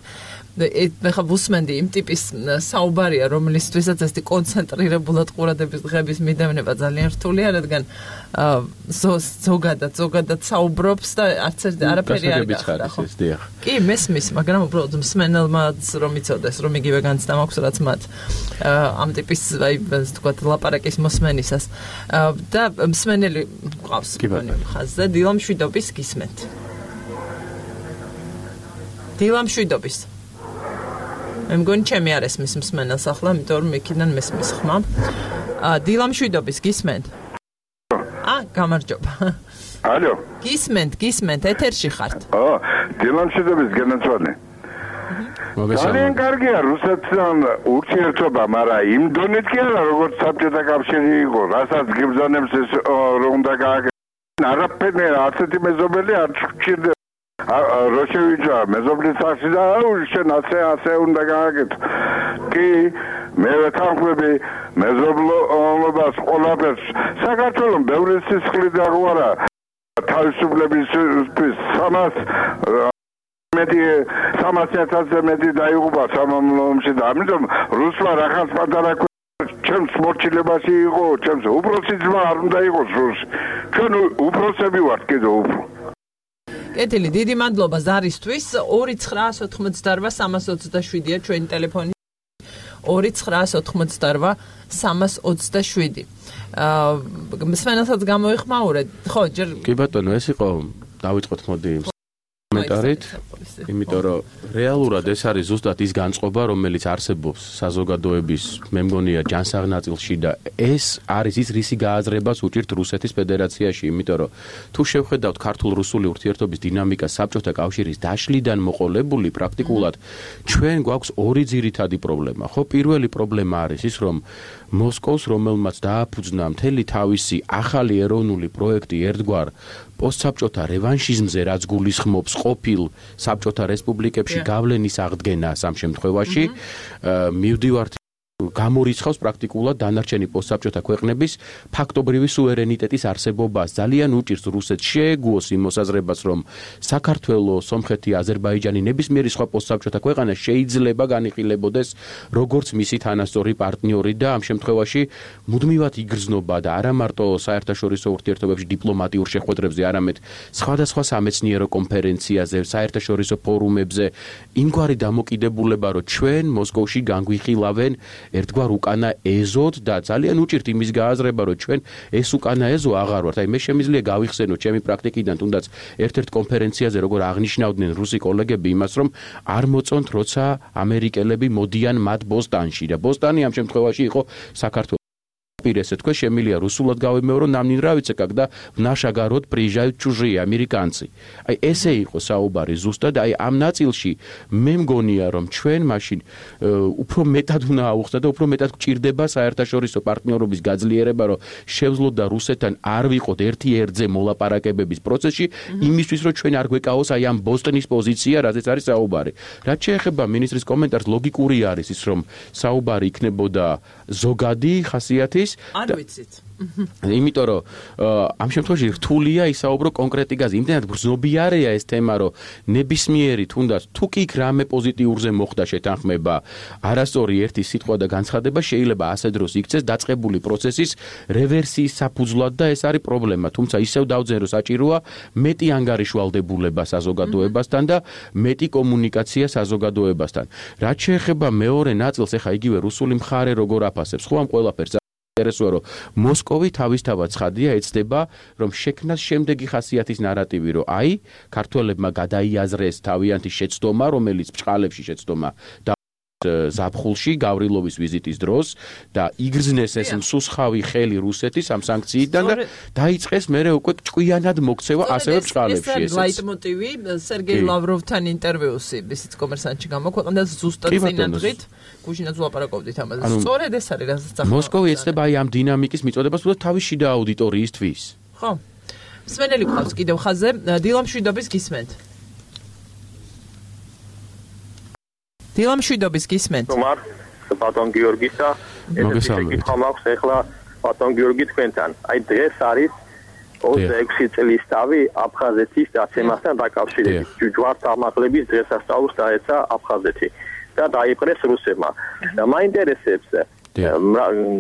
ეხლა ვუსმენდი იმ ტიპის საუბარია, რომლისთვისაც ეს კონცენტრირებულად ყურადღების დღების მიდევნება ძალიან რთულია, რადგან ზოგადად საუბრობს და არაფერი არ გახდა, ხო? კი, მესმის, მაგრამ უბრალოდ მსმენელმაც რომ იცოდეს, რომ იგივე განცდა მაქვს, რაც მათ ამ ტიპის, აი, ვთქვათ, ლაპარაკის მოსმენისას. და მსმენელი მყავს ხაზზე, დილამშვიდობის გისმენთ. დილამშვიდობის. მე მგონი ჩემი არ ესმის მსმენელს ახლა, იმიტომ რომ იქიდან მესმის ხმა. დილამშვიდობის გისმენთ? გამარჯობა. ალო. გისმენთ, ეთერში ხართ. დილამშვიდობის გენაცვალე. ძალიან კარგია რუსეთთან ურთიერთობა, მაგრამ იმ დონით კი არა, როგორც საბჭოთა კავშირი იყო, რასაც გიბრძანებს ეს რომ უნდა გააკეთოს. არაფერი ასეთი მეზობელი არ ჩქირდება. როშევიჩა მეზობლის სახში და შენ ასე უნდა გააკეთო. კი, მე ვეთანხმები მეზობლობას ყველაფერს. საქართველოს ბევრი სისხლი დაგვარა თავისუფლებისთვის 300,000-ზე მეტი დაიღუპა სამამულოში და ამიტომ რუსმა რახაც პატარა ჩემს მორჩილებაში იყო, ჩემს უფროსი ძმა არ უნდა იყოს რუსი. ჩვენ უფროსები ვართ კიდევ უფრო. კეთილი, დიდი მადლობა ზარისთვის. 2988327-ია ჩვენი ტელეფონი. 2988327. მსმენელსაც გამოიხმაურეთ. ხო, ჯერ კი ბატონო, ეს იყო დავიწყოთ მოდი კომენტარით, იმიტომ რომ რეალურად ეს არის ზუსტად ის განწყობა, რომელიც არსებობს საზოგადოების, მე მგონია, ჯანსაღ ნაწილში და ეს არის ის რისი გააზრებას უჭირთ რუსეთის ფედერაციაში, იმიტომ რომ თუ შევხედავთ ქართულ-რუსული ურთიერთობის დინამიკას საბჭოთა კავშირის დაშლიდან მოყოლებული პრაქტიკულად ჩვენ გვაქვს ორი ძირითადი პრობლემა. ხო, პირველი პრობლემა არის ის, რომ მოსკოვს, რომელმაც დააფუძნა მთელი თავისი ახალი ეროვნული პროექტი ერთგვარ პოსტსაბჭოთა რევანშიზმზე, რაც გულისხმობს ყოფილ საბჭოთა რესპუბლიკებში გავლენის აღდგენას ამ შემთხვევაში, მივდივართ გამორიცხავს პრაქტიკულად დანარჩენი პოსტსაბჭოთა ქვეყნების ფაქტობრივი სუვერენიტეტის არსებობას. ძალიან უჭირს რუსეთს შეეგუოს იმ მოსაზრებას, რომ საქართველოს, სომხეთი, აზერბაიჯანი, ნებისმიერი სხვა პოსტსაბჭოთა ქვეყანა შეიძლება განიხილებოდეს როგორც მისი თანასწორი პარტნიორი და ამ შემთხვევაში მუდმივად იგრძნობა და არა მარტო საერთაშორისო ურთიერთობებში დიპლომატიურ შეხვედრებზე, არამედ სხვადასხვა სამეცნიერო კონფერენციაზე, საერთაშორისო ფორუმებზე იმგვარი დამოკიდებულება, რომ ჩვენ მოსკოვში განგვიხილავენ ერთგვარ უკანა ეზოდ და ძალიან უჭირთ იმის გააზრება, რომ ჩვენ ეს უკანა ეზო აღარ ვართ. აი მე შემიძლია გავიხსენო ჩემი პრაქტიკიდან თუნდაც ერთ-ერთ კონფერენციაზე როგორ აღნიშნავდნენ რუსი კოლეგები იმას, რომ არ მოწონთ როცა ამერიკელები მოდიან მათ ბოსტანში და ბოსტანი ამ შემთხვევაში იყო საქართველოს. Если такое, Емелья Русулат Гавимеро нам не нравится, когда в наш огород приезжают чужие американцы. Ай эсэ იყო საუბარი ზუსტად აი ამ ნაწილში მე მგონია რომ ჩვენ მაშინ უფრო მეტად უნდა აუხსნათ და უფრო მეტად გჭირდება საერთაშორისო პარტნიორობის გაძლიერება რომ შევძლოთ და რუსეთთან არ ვიყოთ ერთი ერთზე მოლაპარაკებების პროცესში იმისთვის რომ ჩვენ არ გვეკავოს აი ამ ბოსტონის პოზიცია რაზეც არის საუბარი. რაც შეეხება მინისტრის კომენტარს ლოგიკური არის ის რომ საუბარი იქნებოდა ზოგადი ხასიათის არ ვიცით. იმიტომ რომ ამ შემთხვევაში რთულია ისაუბრო კონკრეტიკაზე. იმდენად გრძნობიარეა ეს თემა, რომ ნებისმიერი თუნდაც თუ კი რამე პოზიტიურზე მოხდა შეთანხმება, არასწორი ერთი სიტყვა და განცხადება შეიძლება ასე დროს იქცეს დაწყებული პროცესის რევერსიის საფუძვლად და ეს არის პრობლემა. თუმცა ისევ დავძენ რომ საჭიროა მეტი ანგარიშვალდებულება საზოგადოებასთან და მეტი კომუნიკაცია საზოგადოებასთან. რაც შეეხება მეორე ნაწილს, ეხა იგივე რუსული მხარე როგორ აფასებს, ხო ამ ყველაფერს ინტერესოა რომ მოსკოვი თავისთავად ცხადია ეცდება რომ შექმნას შემდეგი ხასიათის ნარატივი რომ აი ქართველებმა გადაიაზრეს თავიანთი შეცდომა რომელიც ბჭყალებში შეცდომა და ზაფხულში გავრილოვის ვიზიტის დროს და იგრძნეს ეს მსუსხავი ხელი რუსეთის ამ სანქციიდან და დაიწყეს მერე უკვე ჭკვიანად მოქცევა ასევე ბჭყალებში ესეც ლაიტმოტივი სერგეი ლავროვთან ინტერვიუსი ისიც კომერსანტში გამოქვეყნდა ზუსტად წინადღით გუშინაც ვლაპარაკობდით ამაზე სწორედ ეს არის რასაც ახლა მოსკოვი ეცდება აი ამ დინამიკის მიწოდებას თუნდაც თავის შიდა აუდიტორიისთვის ხო მსმენელი გვყავს კიდევ ხაზზე დილამშვიდობის გისმენთ დილამშვიდობის გისმენთ. Თუმარ, ბატონ გიორგისა, ეს კითხვა მაქვს ახლა ბატონ გიორგი თქვენთან. აი დღეს არის 26 წლის თავი აფხაზეთის დაცემასთან დაკავშირებით. ჯვართ ამაღლების დღესასწაულს დაეცა აფხაზეთი და დაიპყრეს რუსებმა. და მაინტერესებს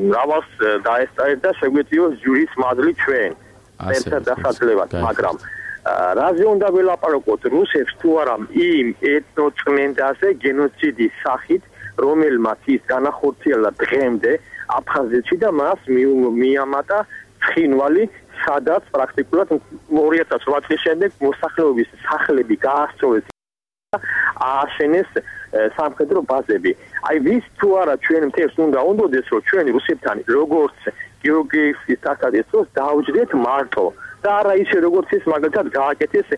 მრავალს დაესწრეთ და შეგვეციოს ჯვრის მადლი ჩვენ. ერთად დასაძლევად, მაგრამ რაზე უნდა ველაპარაკოთ რუსებს თუ არა იმ ეთნოწმენდაზე გენოციდის სახით რომელმაც ის განახორციელა დღემდე აფხაზეთში და მას მიამატა ცხინვალი სადაც პრაქტიკულად 2008 წლის შემდეგ მოსახლეობის სახლები გაასწორეს ააშენეს სამხედრო ბაზები აი ვის თუ არა ჩვენ მთელს უნდა უნდოდეს რომ ჩვენ რუსებთან როგორც გეოგრაფიის თასადეცოს დაუჯდეთ მარტო და არა ისე როგორც ის მაგალითად გააკეთეს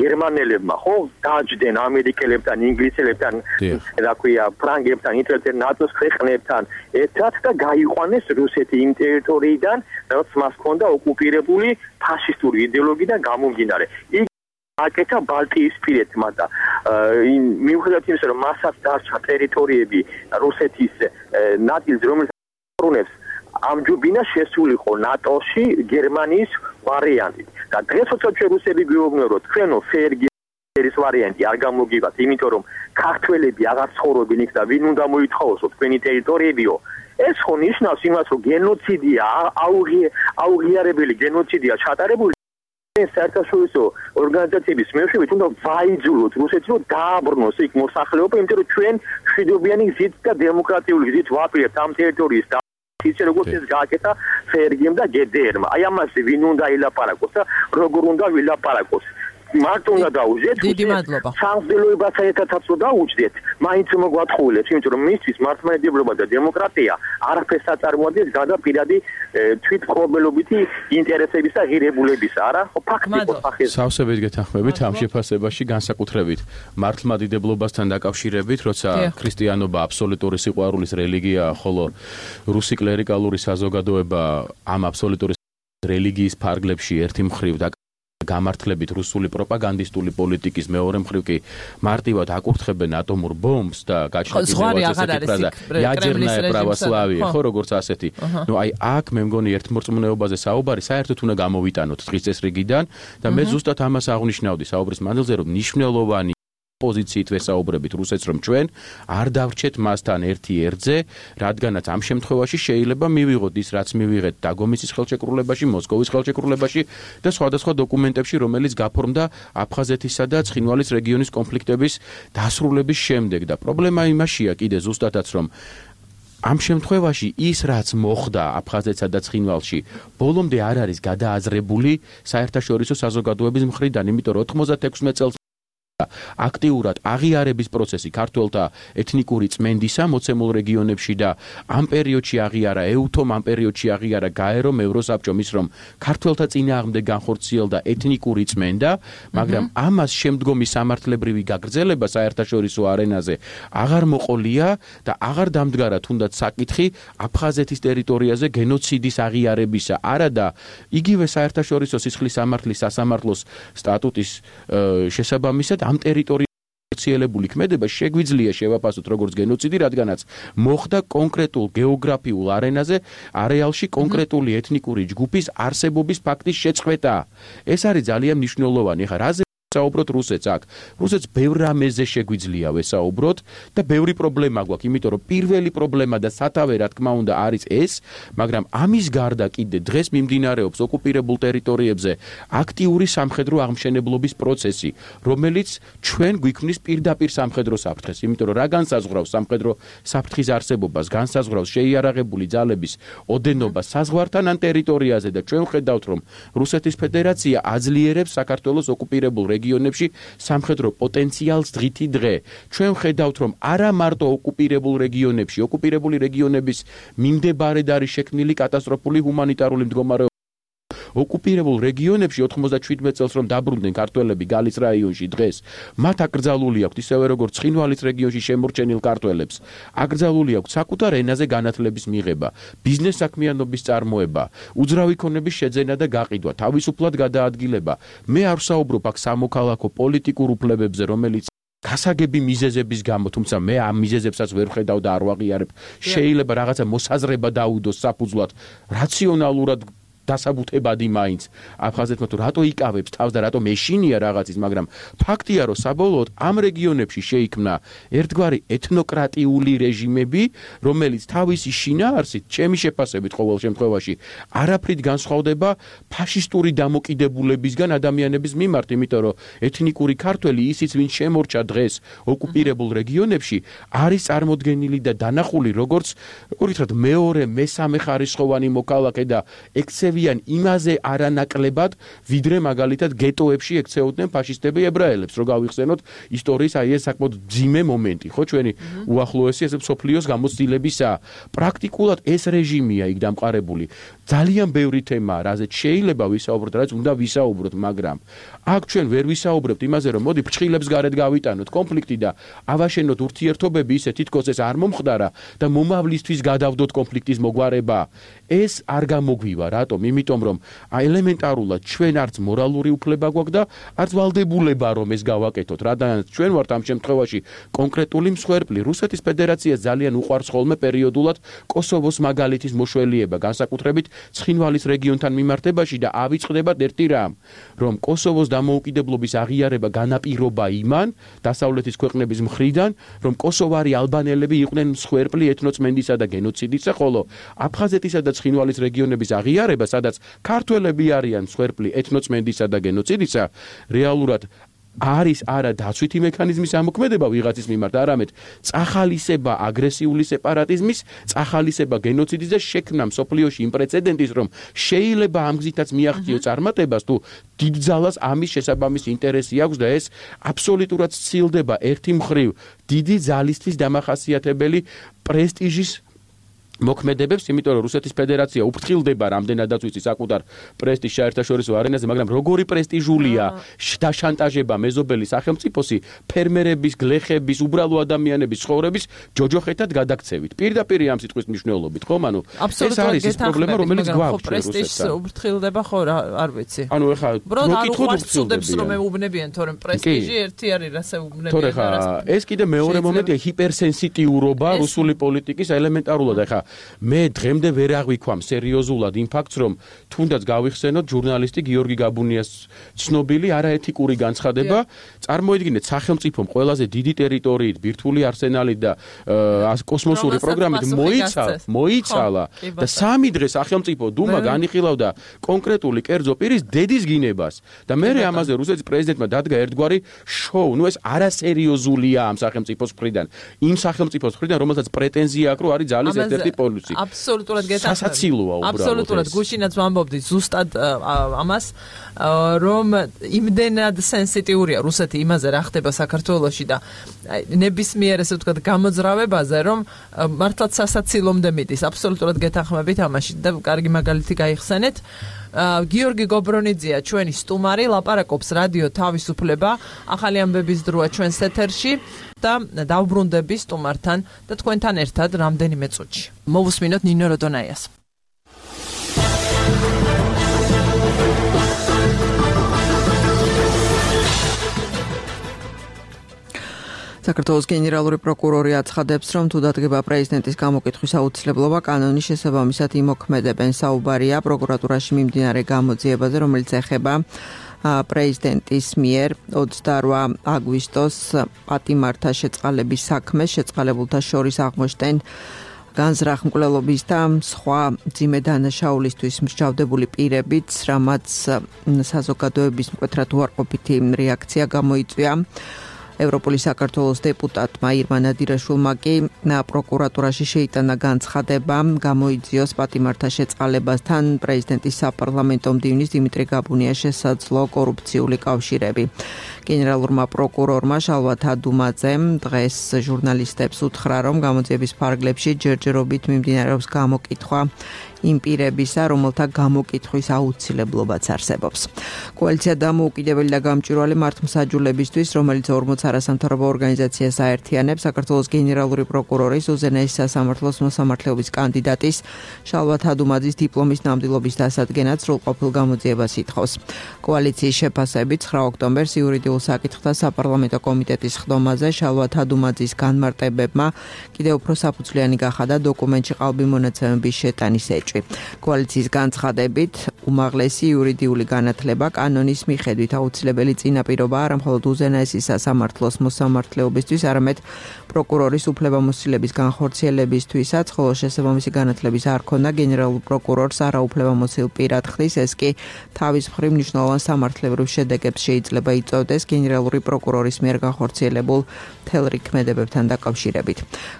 გერმანელებმა ხო დაჯდნენ ამერიკელებთან ინგლისელებთან რა ქვია ფრანგებთან იტალიელთან ნატოს ქვეყნებთან ერთად და გაიყვანეს რუსეთი იმ ტერიტორიიდან რაც მას ჰქონდა ოკუპირებული ფაშისტური იდეოლოგიიდან გამომდინარე იქ აკეთა ბალტიისპირეთმა და მიუხედავად იმისა რომ მასაც დარჩა ტერიტორიები რუსეთის ნაწილს რომელიც ბრუნებს ამჯობინა შესულიყო ნატოში გერმანიის ვარიანტით და დღეს როცა ჩვენ რუსები გვიუბნებო რომ თქვენო ფერგერის ვარიანტი არ გამოგივათ იმიტომ რომ ქართველები აღარ ცხოვრობენ იქ და ვინ უნდა მოითხოვოსო თქვენი ტერიტორიებიო ეს ხო ნიშნავს იმას რომ გენოციდია აუღიარებელი გენოციდია ჩატარებული საერთაშორისო ორგანიზაციების მეშვეობით უნდა ვაიძულოთ რუსეთს რომ დააბრუნოს იქ მოსახლეობა იმიტომ რომ ჩვენ მშვიდობიანი გზით და დემოკრატიული გზით ვაპირებთ ამ ტერიტორიის ისე როგორც ეს გააკეთა ფერგიმ და გედერმა. აი ამაზე ვინ უნდა ილაპარაკოს და როგორ უნდა ვილაპარაკოს. მარტო უნდა დაუჯდეთ. დიდი მადლობა. სამღვდელოებასა ერთადაც უნდა დაუჯდეთ. მაინც მოგვათხოვილებს, იმიტომ რომ მისთვის მართლმადიდებლობა და დემოკრატია არაფერს აწარმოადგენს გარდა პირადი თვითმკვლელობითი ინტერესების და ღირებულებისა, არა? ფაქტიკოს სახეს. სავსებით გეთანხმებით ამ შეფასებაში, განსაკუთრებით მართლმადიდებლობასთან დაკავშირებით, როცა ქრისტიანობა აბსოლუტური სიყვარულის რელიგიაა, ხოლო რუსი კლერიკალური საზოგადოება ამ აბსოლუტური რელიგიის ფარგლებში ერთი მხრივ და გამართლებით რუსული პროპაგანდისტული პოლიტიკის, მეორე მხრივ კი მარტივად აკურთხებენ ატომურ ბომბს და ядерная православие, ხო როგორც ასეთი. ნუ აი აქ მე მგონი ერთმორწმუნეობაზე საუბარი საერთოდ უნდა გამოვიტანოთ დღის წესრიგიდან და მე ზუსტად ამას აღნიშნავდი საუბრის მანძილზე, რომ მნიშვნელოვანი პოზიციით ვესაუბრებით რუსეთს, რომ ჩვენ არ დავრჩეთ მასთან ერთი ერთზე, რადგანაც ამ შემთხვევაში შეიძლება მივიღოთ ის, რაც მივიღეთ დაგომიცის ხელშეკრულებაში, მოსკოვის ხელშეკრულებაში და სხვადასხვა დოკუმენტებში, რომელიც გაფორმდა აფხაზეთისა და ცხინვალის რეგიონის კონფლიქტების დასრულების შემდეგ და პრობლემა იმაშია კიდე ზუსტადაც, რომ ამ შემთხვევაში ის, რაც მოხდა აფხაზეთსა და ცხინვალში, ბოლომდე არ არის გადააზრებული საერთაშორისო საზოგადოების მხრიდან, იმიტომ რომ 96 წელს აქტიურად აღიარების პროცესი ქართველთა ეთნიკური წმენდისა მოცემულ რეგიონებში და ამ პერიოდში აღიარა ეუთომ, ამ პერიოდში აღიარა გაერომ, ევროსაბჭომ ის, რომ ქართველთა წინააღმდეგ განხორციელდა ეთნიკური წმენდა, მაგრამ ამას შემდგომი სამართლებრივი გაგრძელება საერთაშორისო არენაზე აღარ მოყოლია და აღარ დამდგარა თუნდაც საკითხი აფხაზეთის ტერიტორიაზე გენოციდის აღიარებისა. არა და იგივე საერთაშორისო სისხლის სამართლის სასამართლოს სტატუტის შესაბამისად ამ ტერიტორიაზე ხორციელებული ქმედება შეგვიძლია შევაფასოთ როგორც გენოციდი, რადგანაც მოხდა კონკრეტულ გეოგრაფიულ არენაზე, არეალში კონკრეტული ეთნიკური ჯგუფის არსებობის ფაქტის შეწყვეტა. ეს არის ძალიან მნიშვნელოვანი. ეხლა რაზე საუბრობთ რუსეთს აქ? რუსეთს ბევრ რამეზე შეგვიძლია ვესაუბროთ და ბევრი პრობლემა გვაქვს, იმიტომ რომ პირველი პრობლემა და სათავე რა თქმა უნდა არის ეს, მაგრამ ამის გარდა კიდე დღეს მიმდინარეობს ოკუპირებულ ტერიტორიებზე აქტიური სამხედრო აღმშენებლობის პროცესი, რომელიც ჩვენ გვიქმნის პირდაპირ სამხედრო საფრთხეს, იმიტომ რომ რა განსაზღვრავს სამხედრო საფრთხის არსებობას, განსაზღვრავს შეიარაღებული ძალების ოდენობას საზღვართან ან ტერიტორიაზე და ჩვენ ხედავთ, რომ რუსეთის ფედერაცია აძლიერებს საქართველოს ოკუპირებულ რეგიონებში სამხედრო პოტენციალს დღითი დღე. ჩვენ ხედავთ, რომ არა მარტო ოკუპირებულ რეგიონებში, ოკუპირებული რეგიონების მიმდებარედ არის შექმნილი კატასტროფული ჰუმანიტარული მდგომარეობა. ოკუპირებულ რეგიონებში 97 წელს რომ დაბრუნდნენ ქართველები გალის რაიონში დღეს, მათ აკრძალული აქვთ ისევე როგორც ცხინვალის რეგიონში შემორჩენილ ქართველებს. აკრძალული აქვთ საკუთარ ენაზე განათლების მიღება, ბიზნეს საქმიანობის წარმოება, უძრავი ქონების შეძენა და გაყიდვა, თავისუფლად გადაადგილება. მე არ ვსაუბრობ აქ სამოქალაქო პოლიტიკურ უფლებებზე, რომელიც გასაგები მიზეზების გამო, თუმცა მე ამ მიზეზებსაც ვერ ვხედავ და არ ვაღიარებ. შეიძლება რაღაცა მოსაზრება დაუდოს საფუძვლად, რაციონალურად დასაბუთებადი მაინც აფხაზეთმა თუ რატო იკავებს თავს და რატო მეშინია რაღაცის, მაგრამ ფაქტია, რომ საბოლოოდ ამ რეგიონებში შეიქმნა ერთგვარი ეთნოკრატიული რეჟიმები, რომელიც თავისი შინაარსით, ჩემი შეფასებით ყოველ შემთხვევაში, არაფრით განსხვავდება ფაშისტური დამოკიდებულებისგან ადამიანების მიმართ, იმიტომ რომ ეთნიკური ქართველი ისიც, ვინც შემორჩა დღეს ოკუპირებულ რეგიონებში, არის წარმოდგენილი და დანახული როგორც მეორე, მესამე ხარისხოვანი მოქალაქე და იმაზე არანაკლებად, ვიდრე მაგალითად გეტოებში ექცეოდნენ ფაშისტები ებრაელებს, რომ გავიხსენოთ ისტორიის აი ეს საკმაოდ ძიმე მომენტი, ხო, ჩვენი უახლოესი ეს მსოფლიოს გამოცდილებისა. პრაქტიკულად ეს რეჟიმია იქ დამყარებული. ძალიან ბევრი თემაა, რაზეც შეიძლება ვისაუბროთ, რაც უნდა ვისაუბროთ, მაგრამ აქ ჩვენ ვერ ვისაუბრებთ იმაზე, რომ მოდი ფრჩხილებს გარეთ გავიტანოთ კონფლიქტი და ავაშენოთ ურთიერთობები ისე თითქოს ეს არ მომხდარა და მომავლისთვის გადავდოთ კონფლიქტის მოგვარება. ეს არ გამოგვივა, რატომ? იმიტომ რომ ელემენტარულად ჩვენ არც მორალური უფლება გვაქვს და არც ვალდებულება რომ ეს გავაკეთოთ, რადგანაც ჩვენ ვართ ამ შემთხვევაში კონკრეტული მსხვერპლი. რუსეთის ფედერაციას ძალიან უყვარს ხოლმე პერიოდულად კოსოვოს მაგალითის მოშველიება, განსაკუთრებით ცხინვალის რეგიონთან მიმართებაში და ავიწყდებათ ერთი რამ, რომ კოსოვოს დამოუკიდებლობის აღიარება განაპირობა იმან დასავლეთის ქვეყნების მხრიდან, რომ კოსოვარი ალბანელები იყვნენ მსხვერპლი ეთნოწმენდისა და გენოციდისა, ხოლო აფხაზეთისა და ცხინვალის რეგიონების აღიარება, სადაც ქართველები არიან მსხვერპლი ეთნოწმენდისა და გენოციდისა, რეალურად არის არა დაცვითი მექანიზმის ამოქმედება ვიღაცის მიმართ, არამედ წახალისება აგრესიული სეპარატიზმის, წახალისება გენოციდის და შექმნა მსოფლიოში იმ პრეცედენტის, რომ შეიძლება ამ გზითაც მიაღწიო წარმატებას, თუ დიდ ძალას ამის შესაბამისი ინტერესი აქვს და ეს აბსოლუტურად სცილდება ერთი მხრივ დიდი ძალისთვის დამახასიათებელი პრესტიჟის მოქმედებებს, იმიტომ რომ რუსეთის ფედერაცია უფრთხილდება რამდენადაც ვიცი საკუთარ პრესტიჟს საერთაშორისო არენაზე, მაგრამ როგორი პრესტიჟულია დაშანტაჟება მეზობელი სახელმწიფოსი ფერმერების, გლეხების, უბრალო ადამიანების ცხოვრების ჯოჯოხეთად გადაქცევით. პირდაპირ ამ სიტყვის მნიშვნელობით, ხომ? ანუ ეს არის ის პრობლემა, რომელიც გვაქვს პრესტიჟს უფრთხილდება ხო არ ვიცი. ანუ ეხლა მოკითხოთ უბრალოდ რომ მეუბნებიან, თორემ პრესტიჟი ერთი არის, რასაც უბნებიან. თორე ხა ეს კიდე მეორე მომენტია ჰიპერსენსიტიურობა რუსული პოლიტიკის ელემენტარულად. ეხლა მე დღემდე ვერ აღვიქვამ სერიოზულად იმ ფაქტს, რომ თუნდაც გავიხსენოთ ჟურნალისტი გიორგი გაბუნიას ცნობილი არაეთიკური განცხადება, წარმოიდგინეთ სახელმწიფომ ყველაზე დიდი ტერიტორიით, ბირთვული არსენალით და კოსმოსური პროგრამით მოიცალა და 3 დღე სახელმწიფო დუმა განიხილავდა კონკრეტული კერძო პირის დედის გინებას და მე ამაზე რუსეთის პრეზიდენტმა დადგა ერთგვარი შოუ. ნუ ეს არასერიოზულია ამ სახელმწიფოს მხრიდან. იმ სახელმწიფოს მხრიდან, რომელსაც პრეტენზია აქვს, რომ არის ძალის ერთ-ერთი პოლუსი. აბსოლუტურად გეთახმებით. სასაცილოა უბრალოდ. აბსოლუტურად გუშინაც ვამბობდი ზუსტად ამას, რომ იმდენად სენსიტიურია რუსეთი იმაზე რა ხდება საქართველოში და ნებისმიერ ესე ვთქვათ გამოძრავებაზე, რომ მართლაც სასაცილომდე მიდის. აბსოლუტურად გეთახმებით ამაში და კარგი მაგალითი გაიხსენეთ. გიორგი გობრონიძეა ჩვენი სტუმარი, ლაპარაკობს რადიო თავისუფლება, ახალი ამბების დროა ჩვენს ეთერში და დავბრუნდები სტუმართან და თქვენთან ერთად რამდენიმე წუთში. მოვუსმინოთ ნინო როდონაიას. საქართველოს გენერალური პროკურორი აცხადებს, რომ თუ დადგება პრეზიდენტის გამოკითხვის აუცილებლობა, კანონის შესაბამისად იმოქმედებენ. საუბარია პროკურატურაში მიმდინარე გამოძიებაზე, რომელიც ეხება პრეზიდენტის მიერ 28 აგვისტოს პატიმართა შეწყალების საქმეს, შეწყალებულთა შორის აღმოჩნდნენ განზრახმკვლელობის და სხვა მძიმე დანაშაულისთვის მსჯავრდებული პირებიც, რამაც საზოგადოების მკვეთრად უარყოფითი რეაქცია გამოიწვია. ევროპული საქართველოს დეპუტატმა ირმა ნადირაშვილმა კი პროკურატურაში შეიტანა განცხადება გამოიძიოს პატიმართა შეწყალებასთან პრეზიდენტის საპარლამენტო მდივნის დიმიტრი გაბუნიას შესაძლო კორუფციული კავშირები. გენერალურმა პროკურორმა შალვა თადუმაძემ დღეს ჟურნალისტებს უთხრა, რომ გამოძიების ფარგლებში ჯერჯერობით მიმდინარეობს გამოკითხვა იმ პირებისა, რომელთა გამოკითხვის აუცილებლობაც არსებობს. კოალიცია დამოუკიდებელი და გამჭვირვალე მართლმსაჯულებისთვის, რომელიც 40 არასამთავრობო ორგანიზაციას აერთიანებს, საქართველოს გენერალური პროკურორის უზენაესი სასამართლოს მოსამართლეობის კანდიდატის შალვა თადუმაძის დიპლომის ნამდვილობის დასადგენად სრულყოფილ გამოძიებას ითხოვს. კოალიციის შეფასებით 9 ოქტომბერს იურიდიულ საკითხთა საპარლამენტო კომიტეტის ხდომაზე შალვა თადუმაძის განმარტებებმა კიდევ უფრო საფუძვლიანი გახადა დოკუმენტში ყალბი მონაცემების შეტანის ეჭვი. კოალიციის განცხადებით, უმაღლესი იურიდიული განათლება კანონის მიხედვით აუცილებელი წინაპირობა არა მხოლოდ უზენაესი სასამართლოს მოსამართლეობისთვის, არამედ პროკურორის უფლებამოსილების განხორციელებისთვისაც, ხოლო შესაბამისი განათლების არ ქონა გენერალურ პროკურორს არაუფლებამოსილ პირად ხდის, ეს კი თავის მხრივ მნიშვნელოვან სამართლებრივ შედეგებს შეიძლება იწვევდეს გენერალური პროკურორის მიერ განხორციელებულ მთელ რიქმედებებთან დაკავშირებით.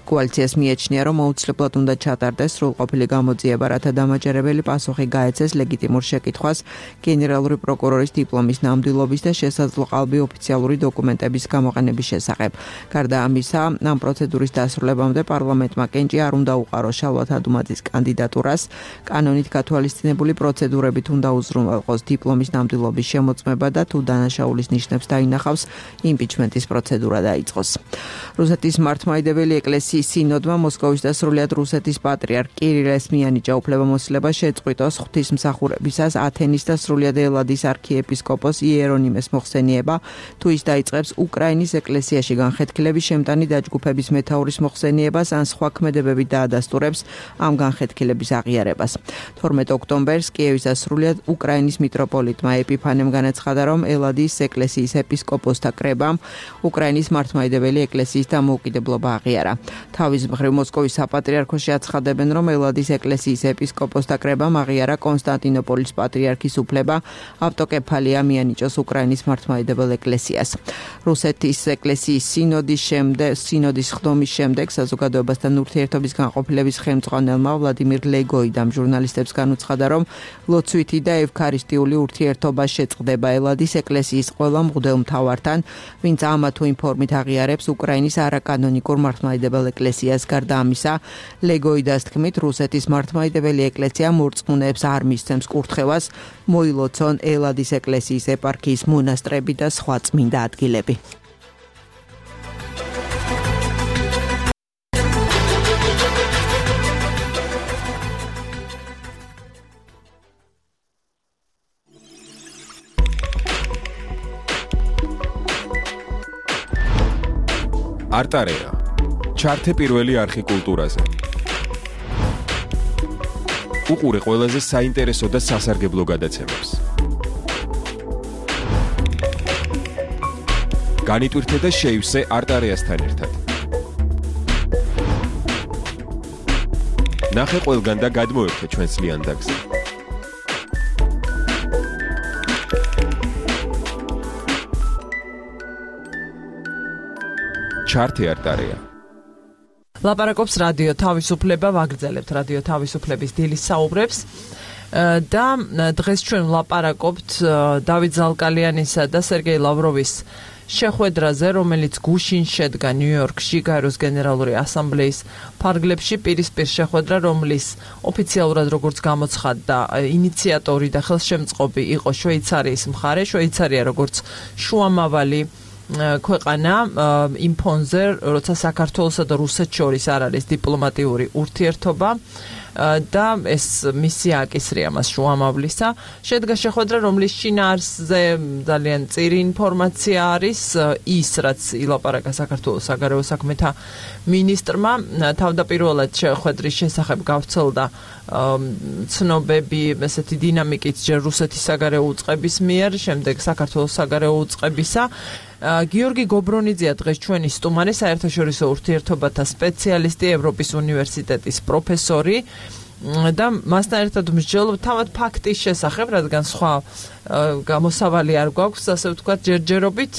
კოალიციას მიეჩნია, რომ აუცილებლად უნდა ჩატარდეს სრულყოფილი გამოძიება, რათა დამაჯერებელი პასუხი გაეცეს ლეგიტიმურ შეკითხვას გენერალური პროკურორის დიპლომის ნამდვილობის და შესაძლო ყალბი ოფიციალური დოკუმენტების გამოყენების შესახებ. გარდა ამისა, ამ პროცედურის დასრულებამდე პარლამენტმა კენჭი არ უნდა უყაროს შალვა თადუმაძის კანდიდატურას, კანონით გათვალისწინებული პროცედურებით უნდა უზრუნველყოს დიპლომის ნამდვილობის შემოწმება და თუ დანაშაულის ნიშნებს დაინახავს, იმპიჩმენტის პროცედურა დაიწყოს. რუსეთის მართლმადიდებელი ეკლესიის სინოდმა მოსკოვის და სრულიად რუსეთის პატრიარქ კირილ ესმიანიჭა უფლებამოსილება შეწყვიტოს ღვთისმსახურებისას ათენის და სრულიად ელადის არქიეპისკოპოს იერონიმეს მოხსენიება, თუ ის დაიწყებს უკრაინის უკრაინის ეკლესიაში განხეთქილების შემტანი დაჯგუფების მეთაურის მოხსენიებას ან სხვა ქმედებებით დაადასტურებს ამ განხეთქილების აღიარებას. 12 ოქტომბერს კიევის ასრულიად უკრაინის მიტროპოლიტმა ეპიფანემ განაცხადა, რომ ელადის ეკლესიის ეპისკოპოსთა კრებამ უკრაინის მართლმადიდებელი ეკლესიის დამოუკიდებლობა აღიარა. თავის მხრივ მოსკოვის საპატრიარქოში აცხადებენ, რომ ელადის ეკლესიის ეპისკოპოსთა კრებამ აღიარა კონსტანტინოპოლის პატრიარქის უფლება ავტოკეფალია მიანიჭოს უკრაინის მართლმადიდებელ ეკლესიას. რუსეთის ეკლესიის სინოდის ხდომის შემდეგ საზოგადოებასთან ურთიერთობის განყოფილების ხელმძღვანელმა ვლადიმირ ლეგოიდამ ჟურნალისტებს განუცხადა, რომ ლოცვითი და ევქარისტიული ურთიერთობა შეწყდება ელადის ეკლესიის ყველა მღვდელ მთავართან, ვინც ამა თუ იმ ფორმით აღიარებს უკრაინის არაკანონიკურ მართლმადიდებელ ეკლესიას. გარდა ამისა, ლეგოიდას თქმით, რუსეთის მართლმადიდებელი ეკლესია მორწმუნეებს არ მისცემს კურთხევას მოილოცონ ელადის ეკლესიის ეპარქიის მონასტრები და სხვა წმინდა ადგილები. არტარეა. ჩართე პირველი არხი კულტურაზე. უყურე ყველაზე საინტერესო და სასარგებლო გადაცემებს. განიტვირთე და შეივსე არტარეასთან ერთად. ნახე ყველგან და გადმოერთე ჩვენს ლიანდაგზე. ჩართე არტარეა. ლაპარაკობს რადიო თავისუფლება, ვაგრძელებთ რადიო თავისუფლების დილის საუბრებს და დღეს ჩვენ ვლაპარაკობთ დავით ზალკალიანისა და სერგეი ლავროვის შეხვედრაზე, რომელიც გუშინ შედგა ნიუ-იორკში გაეროს გენერალური ასამბლეის ფარგლებში. პირისპირ შეხვედრა, რომლის ოფიციალურად როგორც გამოცხადდა ინიციატორი და ხელშემწყობი იყო შვეიცარიის მხარე. შვეიცარია როგორც შუამავალი ქვეყანა იმ ფონზე, როცა საქართველოსა და რუსეთს შორის არ არის დიპლომატიური ურთიერთობა და ეს მისია აკისრია მას შუამავლისა. შედგა შეხვედრა, რომლის შინაარსზე ძალიან წირი ინფორმაცია არის ის, რაც ილაპარაკა საქართველოს საგარეო საქმეთა მინისტრმა. თავდაპირველად შეხვედრის შესახებ გავრცელდა ცნობები ესეთი დინამიკით ჯერ რუსეთის საგარეო უწყების მიერ, შემდეგ საქართველოს საგარეო უწყებისა. გიორგი გობრონიძეა დღეს ჩვენი სტუმარი, საერთაშორისო ურთიერთობათა სპეციალისტი, ევროპის უნივერსიტეტის პროფესორი და მასთან ერთად მსჯელობ თავად ფაქტის შესახებ, რადგან სხვა გამოსავალი არ გვაქვს, ასე ვთქვათ, ჯერჯერობით,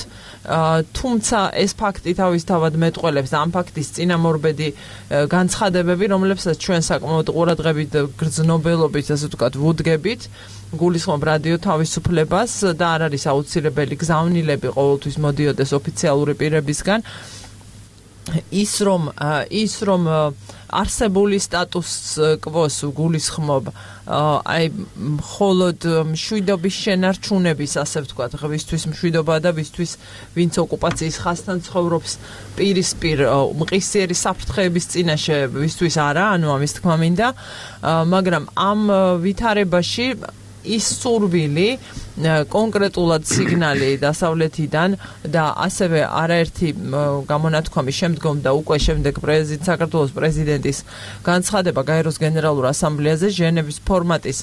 თუმცა ეს ფაქტი თავისთავად მეტყველებს ამ ფაქტის წინამორბედი განცხადებები, რომლებსაც ჩვენ საკმაოდ ყურადღებით გრძნობელობით, ასე ვთქვათ, ვუდგებით. გულისხმობ რადიო თავისუფლებას და არ არის აუცილებელი გზავნილები ყოველთვის მოდიოდეს ოფიციალური პირებისგან. ის რომ არსებული სტატუს კვოს გულისხმობ აი მხოლოდ მშვიდობის შენარჩუნების, ასე ვთქვათ, ვისთვის მშვიდობა და ვინც ოკუპაციის ხაზთან ცხოვრობს პირისპირ მყისიერი საფრთხეების წინაშე, ვისთვის არა, ანუ ამის თქმა მინდა, მაგრამ ამ ვითარებაში ის სურვილი კონკრეტულად სიგნალი დასავლეთიდან და ასევე არაერთი გამონათქვამი შემდგომ და უკვე შემდეგ საქართველოს პრეზიდენტის განცხადება გაეროს გენერალურ ასამბლეაზე ჟენევის ფორმატის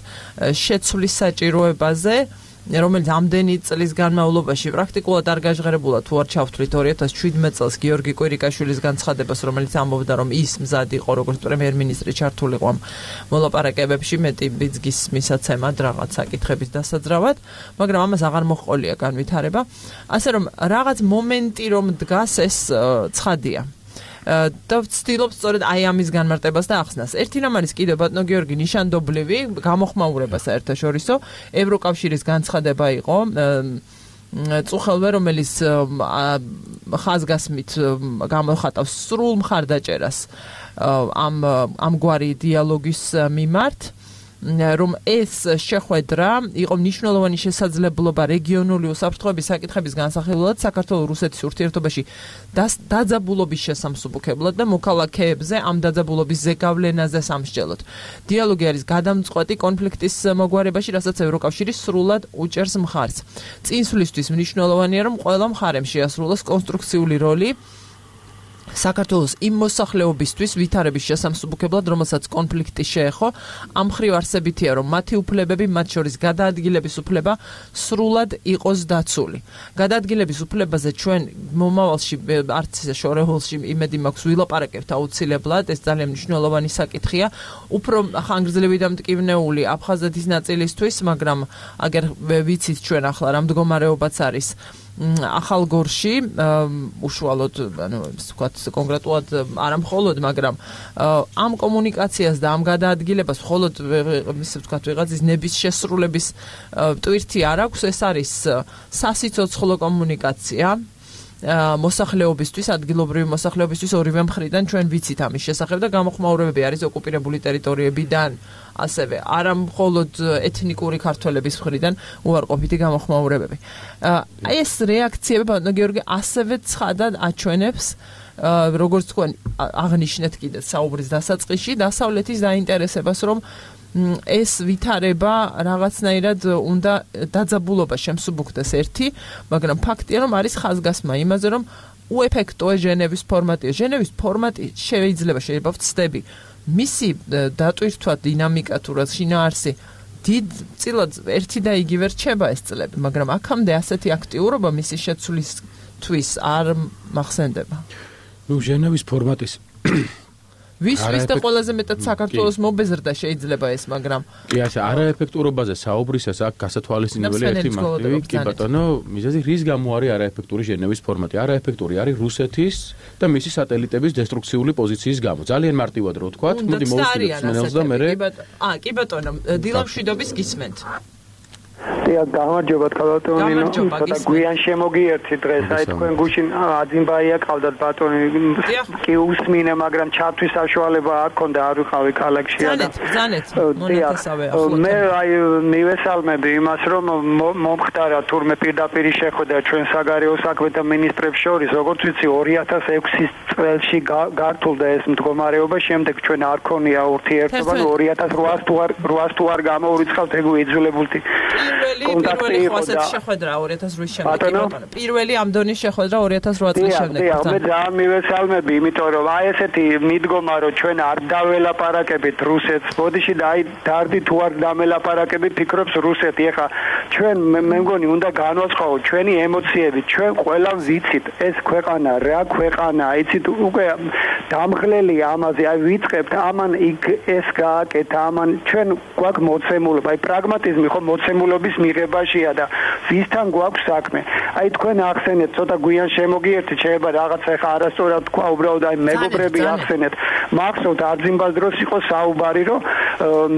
შეცვლის საჭიროებაზე, რომელიც ამდენი წლის განმავლობაში პრაქტიკულად არ გაჟღერებულა, თუ არ ჩავთვლით 2017 წელს გიორგი კვირიკაშვილის განცხადებას, რომელიც ამბობდა, რომ ის მზად იყო როგორც პრემიერ-მინისტრი ჩართულიყო ამ მოლაპარაკებებში მეტი ბიძგის მისაცემად რაღაც საკითხების დასაძრავად, მაგრამ ამას აღარ მოჰყოლია განვითარება. ასე რომ რაღაც მომენტი რომ დგას, ეს ცხადია. და ვცდილობ სწორედ აი ამის განმარტებას და ახსნას. ერთი რამ არის კიდევ ბატონო გიორგი ნიშანდობლივი გამოხმაურება საერთაშორისო ევროკავშირის განცხადება იყო წუხელვე, რომელიც ხაზგასმით გამოხატავს სრულ მხარდაჭერას ამგვარი დიალოგის მიმართ რომ ეს შეხვედრა იყო მნიშვნელოვანი შესაძლებლობა რეგიონული უსაფრთხოების საკითხების განსახილველად საქართველოს რუსეთის ურთიერთობაში დაძაბულობის შესამსუბუქებლად და მოქალაქეებზე ამ დაძაბულობის ზეგავლენაზე სამსჯელოდ. დიალოგი არის გადამწყვეტი კონფლიქტის მოგვარებაში, რასაც ევროკავშირი სრულად უჭერს მხარს. წინსვლისთვის მნიშვნელოვანია, რომ ყველა მხარემ შეასრულოს კონსტრუქციული როლი საქართველოს იმ მოსახლეობისთვის ვითარების შესამსუბუქებლად, რომელსაც კონფლიქტი შეეხო, ამ მხრივ არსებითია, რომ მათი უფლებები, მათ შორის გადაადგილების უფლება, სრულად იყოს დაცული. გადაადგილების უფლებაზე ჩვენ მომავალში არც შორეულში იმედი მაქვს ვილაპარაკებთ აუცილებლად, ეს ძალიან მნიშვნელოვანი საკითხია. უფრო ხანგრძლივი და მტკივნეული აფხაზეთის ნაწილისთვის, მაგრამ აგერ ვიცით ჩვენ ახლა რა მდგომარეობაც არის ახალგორში, უშუალოდ, ვთქვათ, კონკრეტულად არა მხოლოდ, მაგრამ ამ კომუნიკაციას და ამ გადაადგილებას მხოლოდ ისე ვთქვათ, ვიღაცის ნების შესრულების ტვირთი არ აქვს, ეს არის სასიცოცხლო კომუნიკაცია. მოსახლეობისთვის, ადგილობრივი მოსახლეობისთვის ორივე მხრიდან ჩვენ ვიცით ამის შესახებ და გამოხმაურებები არის ოკუპირებული ტერიტორიებიდან, ასევე არა მხოლოდ ეთნიკური ქართველების მხრიდან უარყოფითი გამოხმაურებები. ეს რეაქციები, ბატონო გიორგი, ასევე ცხადად აჩვენებს, როგორც თქვენ აღნიშნეთ კიდე საუბრის დასაწყისში, დასავლეთის დაინტერესებას, რომ ეს ვითარება რაღაცნაირად უნდა დაძაბულობა შემსუბუქდეს ერთი, მაგრამ ფაქტია, რომ არის ხაზგასმა იმაზე, რომ უეფექტოა ჟენევის ფორმატი. ჟენევის ფორმატი შეიძლება ვცდები. მისი დატვირთვა დინამიკა თუ რა შინაარსი დიდწილად ერთი და იგივე რჩება ეს წლები, მაგრამ აქამდე ასეთი აქტიურობა მისი შეცვლისთვის არ მახსენდება. ჟენევის ფორმატის ვის და ყველაზე მეტად საქართველოს მობეზრდა შეიძლება ეს, მაგრამ კი, ასე არაეფექტურობაზე საუბრისას აქ გასათვალისწინებელი ერთი მარტივი, კი ბატონო, მიზეზი რის გამო არის არაეფექტური ჟენევის ფორმატი? არაეფექტური არის რუსეთის და მისი სატელიტების დესტრუქციული პოზიციის გამო. ძალიან მარტივად რო ვთქვათ, მოდი მოვუსწრებთ სმენელს და მერე კი ბატონო, დილამშვიდობის გისმენთ. დიახ, გამარჯობა ბატონო, ცოტა გვიან შემოგიერთი დღეს, აი თქვენ გუშინ აძიმბაია ყავდათ ბატონი, კი უსმინე, მაგრამ ჩართვის საშუალება არ ქონდა, არ ვიყავი ქალაქში და ზანეთ, მონეთესავე ახლო. მე აი მივესალმები იმას, რომ მომხდარა თურმე პირდაპირ შეხვედრა ჩვენ საგარეო საქმეთა მინისტრებს შორის, როგორც ვიცი 2006 წელს გართულდა ეს მდგომარეობა, შემდეგ ჩვენ არ ქონია ურთიერთობა, 2800 თუ არ გამოურიცხავთ ეგ იძულებულთი. პირველი ხოსეთ შეხვედრა 2008 შემდეგ ბატონო. პირველი ამ დონის შეხვედრა 2008 წლის შემდეგ. დიახ, მე ძალიან მივესალმები, იმიტომ რომ აი ესეთი მიდგომა, რომ ჩვენ არ დაველაპარაკებით რუსეთს, ბოდიში და აი დარდი თუ არ დამელაპარაკებით, ფიქრობს რუსეთი. ეხა ჩვენ მე მგონი უნდა განვაცხადოთ ჩვენი ემოციები, ჩვენ ყველა ვიცით ეს ქვეყანა რა ქვეყანაა, იცით უკვე დამღლელი ამაზე, აი ვიწყებთ ამან იქ ეს გააკეთა, ამან ჩვენ გვაქვს მოცემულობა, აი პრაგმატიზმი ხო მოცემულობის მიღებაშია და ვისთან გვაქვს საქმე. აი თქვენ ახსენეთ, ცოტა გვიან შემოგიერთით, შეიძლება რაღაცა ეხა არასწორად თქვა, უბრალოდ აი მეგობრები ახსენეთ. მახსოვთ არძიმბას დროს იყო საუბარი, რომ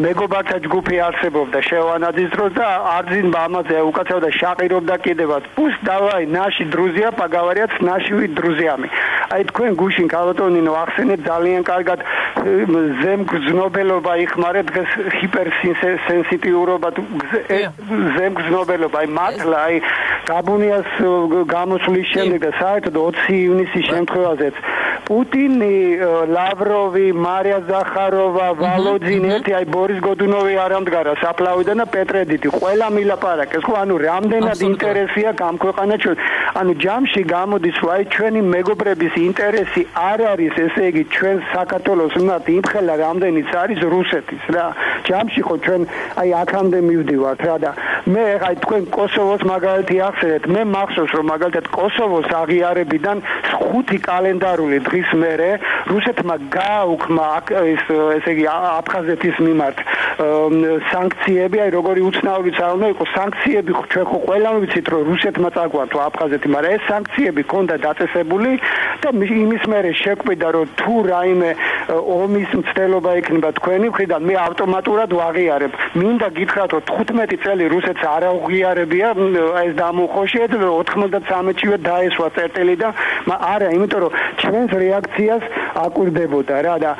მეგობართა ჯგუფი არსებობდა შევანაძის დროს და არძიმბა ამაზე უკაცრავდა შაყირობდა კიდევაც. პუს დავაი ნაში დრუზია, პაგავარიაც ნაშივი დრუზიამი. აი თქვენ გუშინ ქალბატონინო ახსენეთ ძალიან კარგად ზემგზნობელობა იხმარა დღეს ჰიპერსენსიტიურობა ზემგზნობელობა, აი მართლა აი გაბუნიას გამოსვლის შემდეგ და საერთოდ 20 ივნისის შემთხვევაზეც პუტინი, ლავროვი, მარია ზახაროვა, ვალოძინი, ერთი აი ბორის გოდუნოვი არ ამდგარა საფლავიდან და პეტრედიტი, ყველა მილაპარაკეს, ხო, ანუ რამდენად ინტერესია გამქვეყანა ჩვენ. ანუ ჯამში გამოდის, რომ აი ჩვენი მეგობრების ინტერესი არ არის, ესე იგი ჩვენ საქართველოს უნდა იმხელა რამდენიც არის რუსეთის რა. ჯამში ხო ჩვენ აი აქამდე მივდივართ რა და მე აი თქვენ კოსოვოს მაგალითი ახსენეთ, მე მახსოვს რომ მაგალითად კოსოვოს აღიარებიდან 5 კალენდარული დღის მერე რუსეთმა გააუქმა ესე იგი აფხაზეთის მიმართ სანქციები, აი როგორი უცნაურიც არ უნდა იყოს სანქციები, ჩვენ ხო ყველამ ვიცით რომ რუსეთმა წაგვართვა აფხაზეთი, მაგრამ ეს სანქციები ქონდა დაწესებული და იმის მერე შეკვიდა რომ თუ რაიმე ომის მცდელობა იქნება თქვენი მხრიდან, მე ავტომატურად ვაღიარებ. მინდა გითხრათ რომ 15 წელი რუსეთს არ აღიარებია ეს დამუხოშეთ 93-შივე დაესვა წერტილი და არა, იმიტომ რომ ჩვენს რეაქციას აკვირდებოდა რა და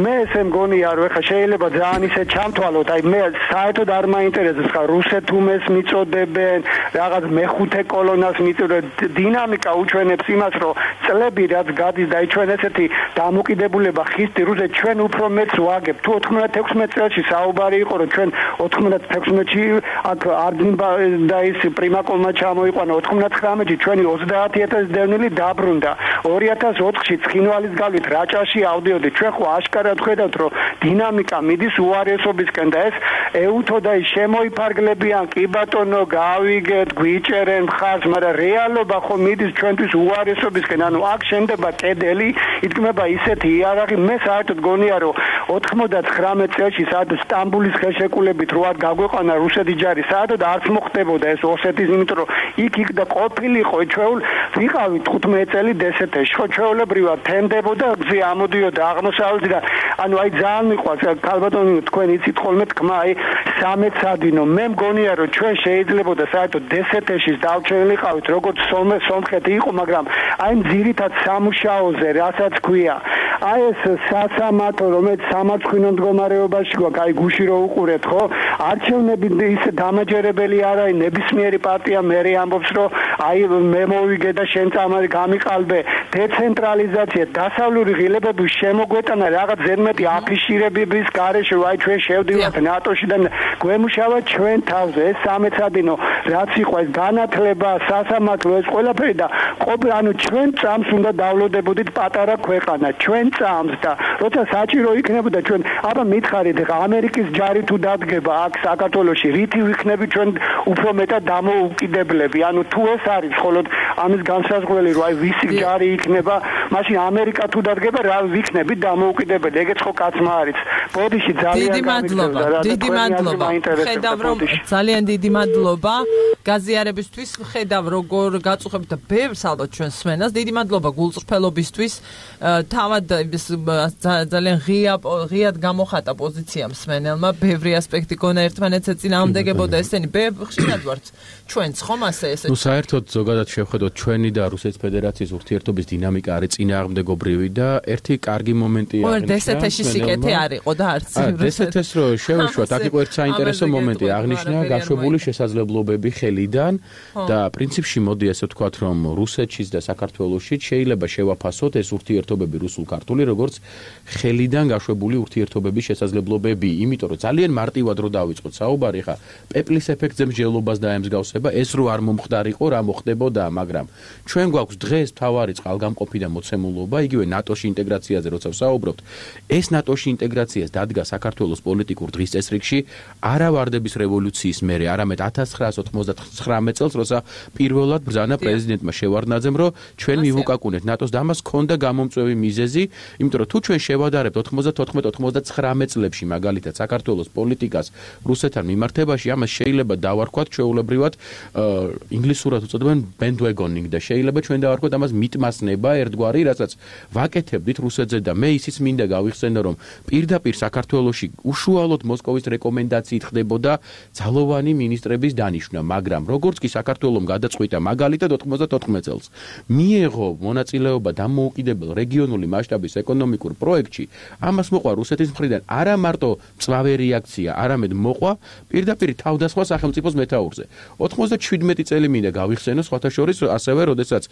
მე ესე მგონია რომ ეხა შეიძლება ძალიან ისე ჩამთვალოთ აი მე საერთოდ არ მაინტერესებს ხა რუსეთუმეს მიწოდებენ რაღაც მეხუთე კოლონას მიწოდებენ დინამიკა უჩვენებს იმას რომ წლები რაც გადის და ჩვენ ესეთი დამოკიდებულება ხისტი რუსეთ ჩვენ უფრო მეც ვაგებ თუ 96 წელს საუბარი იყო რომ ჩვენ 96-ში აქ არდნიბა და ის პრიმაკოლმა ჩამოიყვანა 99-ში ჩვენი 30000 დევნილი დაბრუნდა 2004-ში ცხინვალის გავლით რაჭაში ავდიოდით ჩვენ ხო აშკარად ხედავთ რომ დინამიკა მიდის უარესობისკენ და ეს ეუთო და ის შემოიფარგლებიან კი ბატონო გავიგეთ გვიჭერენ მხარს მაგრამ რეალობა ხო მიდის ჩვენთვის უარესობისკენ ანუ აქ შენდება კედელი იდგმება ისეთი იარაღი მე საერთოდ გონია რომ 99 წელს სადაც სტამბულის ხელშეკრულებით რო არ გაგვეყანა რუსეთის ჯარი საერთოდ არც მოხდებოდა ეს ოსეთის იმიტომ რომ იქ და ყოფილიყო ჩვენ ვიყავით 15 წელი დსთ-ში ხო ჩვეულებრივად თემდებოდა გზი ამოდიოდა აღმოსავლეთიდან ანუ აი ძალიან მიყვარს ქალბატონო თქვენ იცით ხოლმე თქმა აი სამეცადინო მე მგონია რომ ჩვენ შეიძლებოდა საერთოდ დსთ-ში დავჩენილიყავით როგორც სომხეთი იყო მაგრამ აი ძირითად სამუშაოზე რასაც ქვია აი ეს სასამართლო რომელიც სამართლინო მდგომარეობაში გვაქვს აი გუში რო უყურეთ ხო არჩევნები ისე დამაჯერებელი არ არის ნებისმიერი პარტია მერე ამბობს რომ აი მე მოვიგე და შენ წამარი გამიყალბე დეცენტრალიზაცია დასავლური ღილებების შემოგვეტანა რაღაც ზედმეტი აფიშირებების გარეშე აი ჩვენ შევდივართ ნატოში და გვემუშავა ჩვენ თავზე ეს სამეცადინო რაც იყო ეს განათლება სასამართლო ეს ყველაფერი და ყოფილი ანუ ჩვენ წამს უნდა დავლოდებოდით პატარა ქვეყანა ჩვენ წამს და როცა საჭირო იქნებოდა ჩვენ აბა მითხარით ხა ამერიკის ჯარი თუ დადგება აქ საქართველოში რითი ვიქნები ჩვენ უფრო მეტად დამოუკიდებლები ანუ თუ ეს არის მხოლოდ ამის განსაზღვრელი რომ აი ვისი ჯარი იქნება მაშინ ამერიკა თუ დადგება რა ვიქნები დამოუკიდებელი ეგეც ხო კაცმა არის ბოდიში ძალიან დიდი მადლობა ხედავ რომ ძალიან დიდი მადლობა გაზიარებისთვის ხედავ როგორ გაწუხებთ და ბევრს ალბათ ჩვენ სმენას დიდი მადლობა გულწრფელობისთვის თავად ძალიან ღიად გამოხატა პოზიცია მსმენელმა ბევრი ასპექტი გონა ერთმანეთს ეწინააღმდეგებოდა ესენი ხშირად ვართ ჩვენც ხომ ასე ესეთ ნუ საერთოდ ზოგადად შევხედოთ ჩვენი და რუსეთის ფედერაციის ურთიერთობის დინამიკა არის წინააღმდეგობრივი და ერთი კარგი მომენტია დსთ-ში სიკეთე არ იყო და არც დსთ-ს რო შევეშვათ აქ იყო ერთ საინტერესო მომენტი აღნიშნა გაშვებული შესაძლებლობები ხელიდან და პრინციპში მოდი ასე ვთქვათ რომ რუსეთშიც და საქართველოშიც შეიძლება შევაფასოთ ეს ურთიერთობები რუსულ-ქართული როგორც ხელიდან გაშვებული ურთიერთობების შესაძლებლობები იმიტომ რომ ძალიან მარტივად რო დავიწყოთ საუბარი ხა პეპლის ეფექტზე მსჯელობას დაემსგავსება ეს რო არ მომხდარიყო რა მოხდებოდა მაგრამ ჩვენ გვაქვს დღეს თავარი წყალგამყოფი და მოცემულობა იგივე ნატოში ინტეგრაციაზე როცა ვსაუბრობთ ეს ნატოში ინტეგრაციას დადგა საქართველოს პოლიტიკურ დღის წესრიგში არა ვარდების რევოლუციის მერე არამედ 1999 წელს როცა პირველად ბრძანა პრეზიდენტმა შევარდნაძემ რომ ჩვენ მივუკაკუნეთ ნატოს და ამას ჰქონდა გამომწვევი მიზეზი იმიტომ რომ თუ ჩვენ შევადარებთ 94-99 წლებში მაგალითად საქართველოს პოლიტიკას რუსეთთან მიმართებაში ამას შეიძლება დავარქვათ ჩვეულებრივად ინგლისურად უწოდებენ bandwagoning და შეიძლება ჩვენ დავარქვათ ამას მიტმასნება ერთგვარი რასაც ვაკეთებდით რუსეთზე და მე ისიც მინდა გავიხსენო რომ პირდაპირ საქართველოში უშუალოდ მოსკოვის რეკომენდაციით ხდებოდა ძალოვანი მინისტრების დანიშვნა მაგრამ როგორც კი საქართველოს გადაწყვიტა მაგალითად 94 წელს მიეღო მონაწილეობა დამოუკიდებელ რეგიონული მასშტაბის ეკონომიკურ პროექტში ამას მოყვა რუსეთის მხრიდან არა მარტო მწვავე რეაქცია არამედ მოყვა პირდაპირ თავდასხმა სახელმწიფოს მეთაურზე 97 წელი მინდა გავიხსენო სხვათა შორის ასევე როდესაც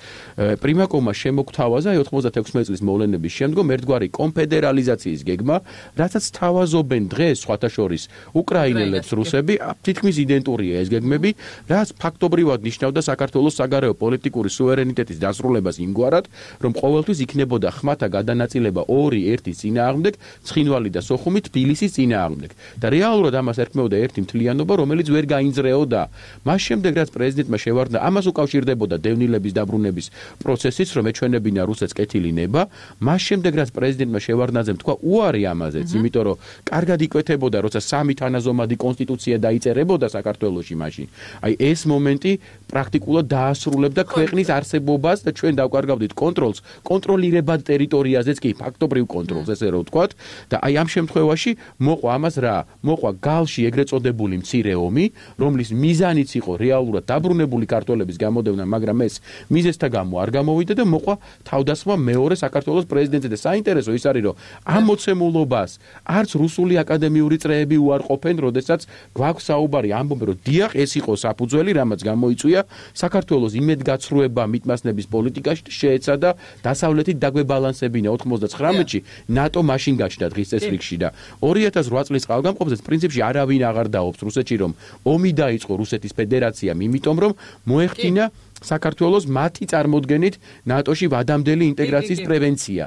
პრიმაკოვმა შემოგთავაზა 96 წლის მოვლენების შემდგომ ერთგვარი კონფედერალიზაციის გეგმა რასაც თავაზობენ დღეს სხვათა შორის უკრაინელებს რუსები თითქმის იდენტურია ეს გეგმები რაც ფაქტობრივად ნიშნავდა საქართველოს საგარეო პოლიტიკური სუვერენიტეტის დასრულებას იმგვარად რომ ყოველთვის იქნებოდა ხმათა გადანაწილება 2-1 წინააღმდეგ ცხინვალი და სოხუმი თბილისის წინააღმდეგ და რეალურად ამას ერქმეოდა ერთი მთლიანობა რომელიც ვერ გაინძრეოდა მას შემდეგ რაც პრეზიდენტმა შევარდნა ამას უკავშირდებოდა დევნილების დაბრუნების პროცესიც რომ ეჩვენებინა რუსეთს კეთილი ნება მას შემდეგ რაც პრეზიდენტმა შევარდნაძემ თქვა უარი ამაზეც იმიტომ რომ კარგად იკვეთებოდა როცა სამი თანაზომადი კონსტიტუცია დაიწერებოდა საქართველოში მაშინ აი ეს მომენტი პრაქტიკულად დაასრულებდა ქვეყნის არსებობას და ჩვენ დავკარგავდით კონტროლს კონტროლირებად ტერიტორიაზეც კი ფაქტობრივ კონტროლს ესე რომ ვთქვათ და აი ამ შემთხვევაში მოყვა ამას რა მოყვა გალში ეგრეთ წოდებული მცირე ომი რომლის მიზანიც იყო რეალურად დაბრუნებული ქართველების გამოდევნა მაგრამ ეს მიზეზთა გამო არ გამოვიდა და მოყვა თავდასხმა გადასვა მეორე საქართველოს პრეზიდენტზე და საინტერესო ის არის, რომ ამ მოცემულობას არც რუსული აკადემიური წრეები უარყოფენ, როდესაც გვაქვს საუბარი ამბობენ, რომ დიახ, ეს იყო საფუძველი, რამაც გამოიწვია საქართველოს იმედგაცრუება მიტმასნების პოლიტიკაში შეეცადა დასავლეთით დაგვებალანსებინა 99-ში ნატო მაშინ გაჩნდა დღის წესრიგში და 2008 წლის წყალგამყოფზე პრინციპში არავინ აღარ დაობს რუსეთში, რომ ომი დაიწყო რუსეთის ფედერაციამ, იმიტომ რომ მოეხდინა საქართველოს მათი წარმოდგენით ნატოში ვადამდელი ინტეგრაციის პრევენცია.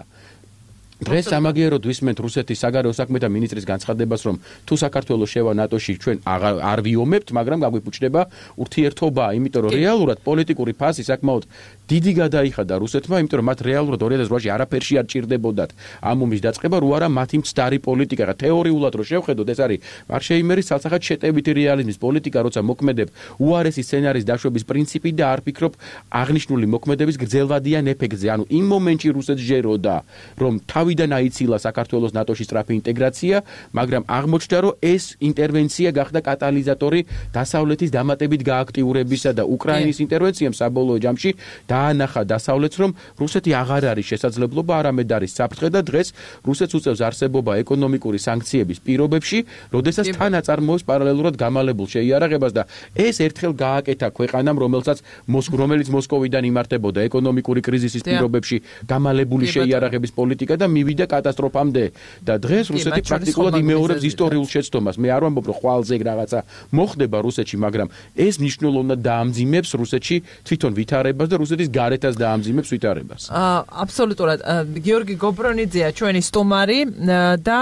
დღეს სამაგიეროდ ვისმენთ რუსეთის საგარეო საქმეთა მინისტრის განცხადებას, რომ თუ საქართველოს შევა ნატოში ჩვენ არ ვიომებთ, მაგრამ გაგვიფუჭდება ურთიერთობა, იმიტომ რომ რეალურად პოლიტიკური ფასი საკმაოდ დიდი გადაიხადა რუსეთმა, იმიტომ რომ მათ რეალურად 2008-ში არაფერში არ ჭირდებოდათ ამ ომის დაწყება, რო არა მათი მცდარი პოლიტიკა. თეორიულად რო შევხედოთ, ეს არის მარშეიმერის ცალსახად შეტევითი რეალიზმის პოლიტიკა, როცა მოქმედებ უარესი სცენარის დაშვების პრინციპი და არ ფიქრობ აღნიშნული მოქმედების გრძელვადიან ეფექტზე. ანუ იმ მომენტში რუსეთს ჯეროდა, რომ თავიდან აიცილა საქართველოს ნატოში სწრაფი ინტეგრაცია, მაგრამ აღმოჩნდა, რომ ეს ინტერვენცია გახდა კატალიზატორი დასავლეთის დამატებით გააქტიურებისა და უკრაინის ინტერვენციამ საბოლოო ჯამში დაანახა დასავლეთს, რომ რუსეთი აღარ არის შესაძლებლობა, არამედ არის საფრთხე და დღეს რუსეთს უწევს არსებობა ეკონომიკური სანქციების პირობებში, როდესაც თან აწარმოებს პარალელურად გამალებულ შეიარაღებას და ეს ერთხელ გააკეთა ქვეყანამ, რომელიც მოსკოვიდან იმართებოდა ეკონომიკური კრიზისის პირობებში გამალებული შეიარაღების პოლიტიკა და მივიდა კატასტროფამდე და დღეს რუსეთი პრაქტიკულად იმეორებს ისტორიულ შეცდომას. მე არ ვამბობ, რომ ხვალზე რაღაცა მოხდება რუსეთში, მაგრამ ეს მნიშვნელოვნად დაამძიმებს რუსეთში თვითონ ვითარებას და რუსეთის გარეთაც დაამძიმებს ვითარებას. აბსოლუტურად. გიორგი გობრონიძეა ჩვენი სტუმარი და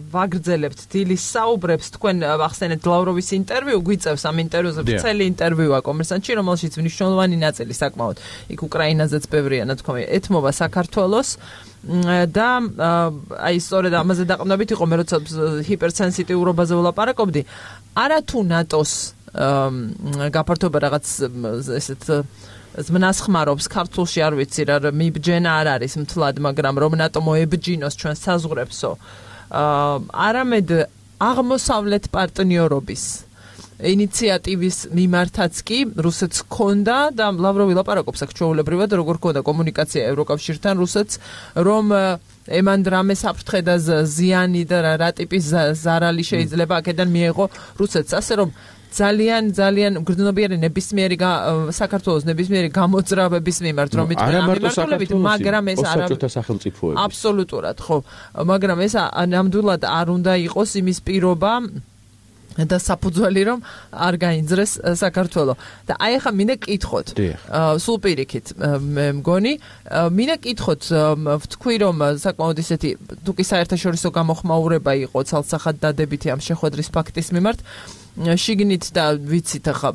ვაგრძელებთ დილის საუბრებს. თქვენ ახსენეთ ლავროვის ინტერვიუ, გვიწევს ამ ინტერვიუზე ვრცელი ინტერვიუა კომერსანტში, რომელშიც მნიშვნელოვანი ნაწილი საკმაოდ იქ უკრაინაზეც ბევრია ნათქვამი ეთმობა საქართველოს. და აი სწორედ ამაზე დაყრდნობით იყო მე როცა ჰიპერსენსიტიურობაზე ვლაპარაკობდი. არა თუ ნატოს გაფართოება რაღაც ესეთ ზმნასხმარობს ქართულში არ ვიცი რა მიბჯენა არ არის მთლად, მაგრამ რომ ნატო მოებჯინოს ჩვენ საზღვრებსო. არამედ აღმოსავლეთ პარტნიორობის ინიციატივის მიმართაც კი რუსეთს ჰქონდა და ლავროვი ლაპარაკობს აქ ჩვეულებრივად როგორ ჰქონდა კომუნიკაცია ევროკავშირთან რუსეთს, რომ ემან რამე საფრთხე და ზიანი და რა ტიპის ზარალი შეიძლება აქედან მიეღო რუსეთს, ასე რომ ძალიან გრძნობიერი ნებისმიერი საქართველოს ნებისმიერი გამოძრავების მიმართ რომ მიტყვი, მაგრამ ეს არა სახელმწიფოები. აბსოლუტურად, ხო, მაგრამ ეს ნამდვილად არ უნდა იყოს იმის პირობა და საფუძველი რომ არ გაინძრეს საქართველო. და აი ახლა მინდა კითხოთ. სულ პირიქით მე მგონი, მინდა კითხოთ, ვთქვი რომ საკმაოდ ისეთი თუ კი საერთაშორისო გამოხმაურება იყო ცალსახად დადებითი ამ შეხვედრის ფაქტის მიმართ. შიგნით და ვიცით ახლა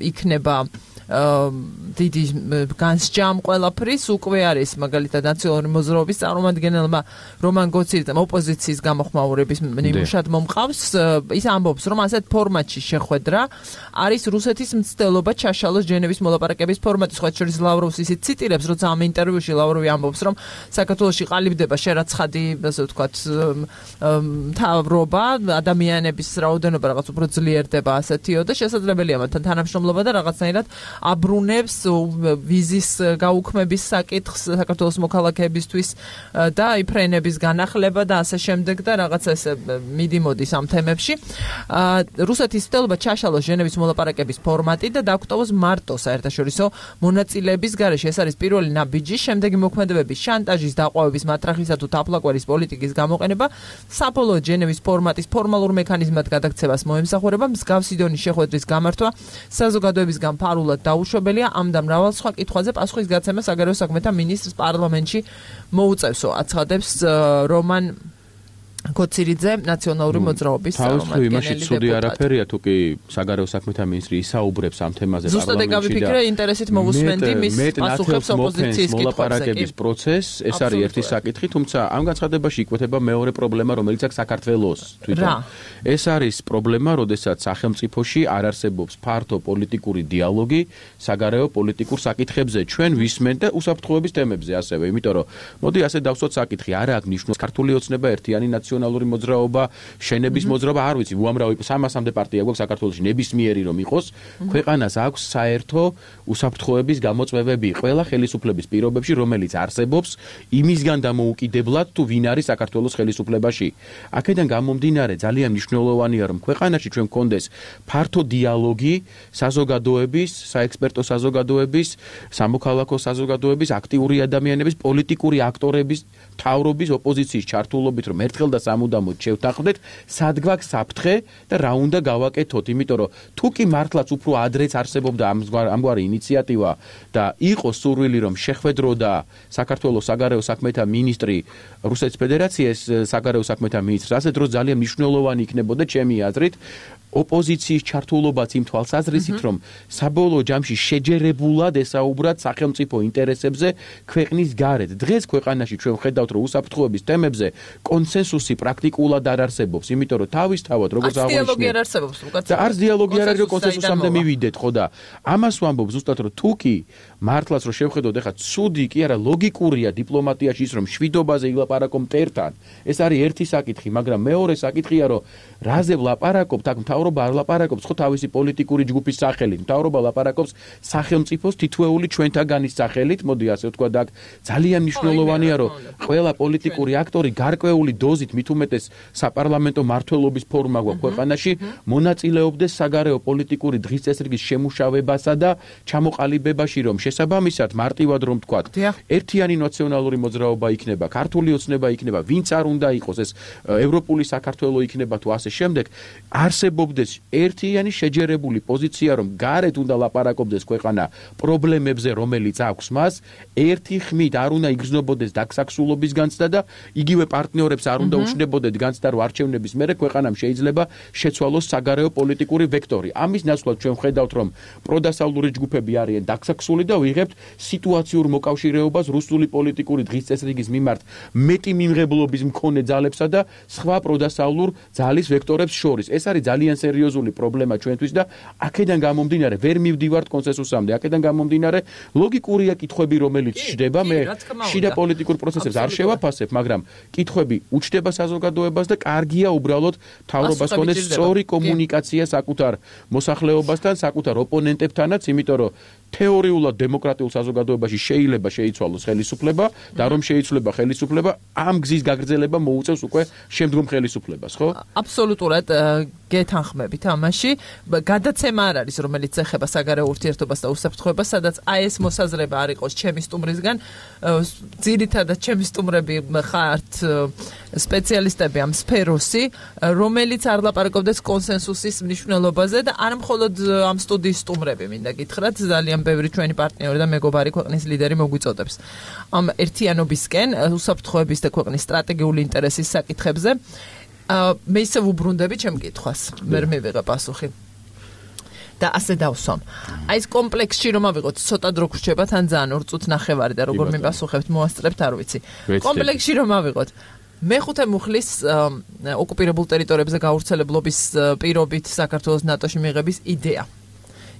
იქნება დიდი განსჯამ ყველაფრის უკვე არის მაგალითად ნაციონალური მოძრაობის წარმომადგენელმა რომან გოცირიძემ ოპოზიციის გამოხმაურების ნიმუშად მომყავს, ის ამბობს რომ ასეთ ფორმატში შეხვედრა არის რუსეთის მცდელობა ჩაშალოს ჟენევის მოლაპარაკების ფორმატი. სხვა შორის ლავროვს ისიც ციტირებს, როცა ამ ინტერვიუში ლავროვი ამბობს რომ საქართველოში ყალიბდება შერაცხადი, ასე ვთქვათ, მთავრობა, ადამიანების რაოდენობა რაღაც უფრო ძლიერდება ასეთიო და შესაძლებელია მათთან თანამშრომლობა და რაღაცნაირად აბრუნებს ვიზის გაუქმების საკითხს საქართველოს მოქალაქეებისთვის და იფრენების განახლება და ასე შემდეგ და რაღაცა ესე მიდიმოდის ამ თემებში. რუსეთის ცდილობა ჩაშალოს ჟენევის მოლაპარაკების ფორმატი და დაგვტოვოს მარტო საერთაშორისო მონაწილეების გარეშე. ეს არის პირველი ნაბიჯი, შემდეგი მოქმედებების შანტაჟის, დაყვავების, მათრახისა თუ თაფლაკვერის პოლიტიკის გამოყენება საბოლოო ჟენევის ფორმატის ფორმალურ მექანიზმად გადაქცევას მოემსახურება. მსგავსი დონის შეხვედრის გამართვა საზოგადოებისგან ფარულად დაუშვებელია. ამ და მრავალ სხვა კითხვაზე პასუხის გაცემა საგარეო საქმეთა მინისტრს პარლამენტში მოუწევსო, აცხადებს რომან გოცირიძე ნაციონალური მოძრაობის წარმომადგენელი. იმაში ცუდი არაფერია თუ კი საგარეო საქმეთა მინისტრი ისაუბრებს ამ თემაზე პარლამენტში. ზუსტად გავიფიქრე, ინტერესით მოვუსმენდი მის პასუხებს ოპოზიციის მოლაპარაკების პროცესს, ეს არის ერთი საკითხი, თუმცა ამ განცხადებაში იკვეთება მეორე პრობლემა, რომელიც აქვს საქართველოს თვითონ. ეს არის პრობლემა, როდესაც სახელმწიფოში არ არსებობს ფართო პოლიტიკური დიალოგი საგარეო პოლიტიკურ საკითხებზე. ჩვენ ვისმენთ და უსაფრთხოების თემებზე ასევე, იმიტომ რომ მოდი ასე დავსვათ საკითხი, არა აქვს ნიშნავს ქართული ოცნება ერთიანი ნაციონალური მოძრაობა, შენების მოძრაობა, არ ვიცი, უამრავი 300-მდე პარტია გვაქვს საქართველოში ნებისმიერი რომ იყოს, ქვეყანას აქვს საერთო უსაფრთხოების გამოწვევები ყველა ხელისუფლების პირობებში, რომელიც არსებობს იმისგან დამოუკიდებლად თუ ვინ არის საქართველოს ხელისუფლებაში. აქედან გამომდინარე ძალიან მნიშვნელოვანია რომ ქვეყანაში ჩვენ გქონდეს ფართო დიალოგი საზოგადოების, საექსპერტო საზოგადოების, სამოქალაქო საზოგადოების, აქტიური ადამიანების, პოლიტიკური აქტორების, მთავრობის, ოპოზიციის ჩართულობით რომ ერთხელ და სამუდამოდ შევთანხმდეთ, სად გვაქვს საფრთხე და რა უნდა გავაკეთოთ, იმიტომ რომ თუ კი მართლაც უფრო ადრეც არსებობდა ამგვარი ინიციატივა და იყო სურვილი რომ შეხვედროდა საქართველოს საგარეო საქმეთა მინისტრი რუსეთის ფედერაციის საგარეო საქმეთა მინისტრს, ასე დროს ძალიან მნიშვნელოვანი იქნებოდა ჩემი აზრით ოპოზიციის ჩართულობაც იმ თვალსაზრისით, რომ საბოლოო ჯამში შეჯერებულად ესაუბრათ სახელმწიფო ინტერესებზე ქვეყნის გარეთ. დღეს ქვეყანაში ჩვენ ვხედავთ, რომ უსაფრთხოების თემებზე კონსენსუსი პრაქტიკულად არ არსებობს, იმიტომ რომ თავისთავად როგორც აღნიშნე, დიალოგი არ არსებობს, და არც დიალოგი არ არის, რომ კონსენსუსამდე მივიდეთ, ხო და ამას ვამბობ ზუსტად, რომ თუ კი მართლაც რომ შევხედოთ, ეხლა ცუდი კი არა, ლოგიკურია დიპლომატიაში ის, რომ შვიდობაზე ილაპარაკო მტერთან. ეს არის ერთი საკითხი, მაგრამ მეორე საკითხია, რომ რაზე ვლაპარაკობთ, აქ მთავრობა არ ლაპარაკობს ხო თავისი პოლიტიკური ჯგუფის სახელით, მთავრობა ლაპარაკობს სახელმწიფოს თითოეული ჩვენთაგანის სახელით, მოდი ასე ვთქვა და აქ ძალიან მნიშვნელოვანია, რომ ყველა პოლიტიკური აქტორი გარკვეული დოზით მით უმეტეს საპარლამენტო მმართველობის ფორმა გვაქვს ქვეყანაში, მონაწილეობდეს საგარეო პოლიტიკური დღის წესრიგის შემუშავებასა და ჩამოყალიბებაში, რომ შესაბამისად მარტივად რომ ვთქვათ, ერთიანი ნაციონალური მოძრაობა იქნება, ქართული ოცნება იქნება, ვინც არ უნდა იყოს ეს ევროპული საქართველო იქნება თუ ასე შემდეგ, არსებობდეს ერთიანი შეჯერებული პოზიცია, რომ გარეთ უნდა ლაპარაკობდეს ქვეყანა პრობლემებზე, რომელიც აქვს მას, ერთი ხმით არ უნდა იგრძნობოდეს დაგსაქსულობის განცდა და იგივე პარტნიორებს არ უნდა უჩნდებოდეთ განცდა, რომ არჩევნების მერე ქვეყანამ შეიძლება შეცვალოს საგარეო პოლიტიკური ვექტორი. ამის ნაცვლად ჩვენ ვხედავთ, რომ პროდასავლური ჯგუფები არიან დაგსაქსული და ვიღებთ სიტუაციურ მოკავშირეობას რუსული პოლიტიკური დღის წესრიგის მიმართ მეტი მიმღებლობის მქონე ძალებსა და სხვა პროდასავლურ ძალის ვექტორებს შორის. ეს არის ძალიან სერიოზული პრობლემა ჩვენთვის და აქედან გამომდინარე ვერ მივდივართ კონსენსუსამდე. აქედან გამომდინარე ლოგიკურია კითხვები, რომელიც ჩდება, მე შიდა პოლიტიკურ პროცესებს არ შევაფასებ, მაგრამ კითხვები უჩდება საზოგადოებას და კარგია უბრალოდ მთავრობას ქონდეს სწორი კომუნიკაცია საკუთარ მოსახლეობასთან, საკუთარ ოპონენტებთანაც, იმიტომ რომ თეორიულად დემოკრატიულ საზოგადოებაში შეიძლება შეიცვალოს ხელისუფლება და რომ შეიცვლება ხელისუფლება, ამ გზის გაგრძელება მოუწევს უკვე შემდგომ ხელისუფლებას, ხო? აბსოლუტურად გეთანხმებით ამაში. გადაცემა არ არის, რომელიც ეხება საგარეო ურთიერთობას და უსაფრთხოებას, სადაც აი ეს მოსაზრება არ იყოს ჩემი სტუმრისგან. ძირითადად ჩემი სტუმრები ხართ სპეციალისტები ამ სფეროსი, რომელიც არ ლაპარაკობდეს კონსენსუსის მნიშვნელობაზე და არ მხოლოდ ამ სტუდიის სტუმრები, მინდა გითხრათ, ძალიან ბევრი ჩვენი პარტნიორი და მეგობარი ქვეყნის ლიდერი მოგვიწოდებს. ამ ერთიანობისკენ, უსაფრთხოების და ქვეყნის სტრატეგიული ინტერესის საკითხებზე მე ისევ უბრუნდები ჩემ კითხვას, ვერ მივიღე პასუხი. და ასე დავსვამ. აი ეს კომპლექსში რომ ავიღოთ, ცოტა დრო გრჩება, თან ძალიან 2 წუთი ნახევარი და როგორ მიპასუხებთ, მოასწრებთ, არ ვიცი. კომპლექსში რომ ავიღოთ, მეხუთე მუხლის ოკუპირებულ ტერიტორიებზე გავრცელებლობის პირობით საქართველოს ნატოში მიღების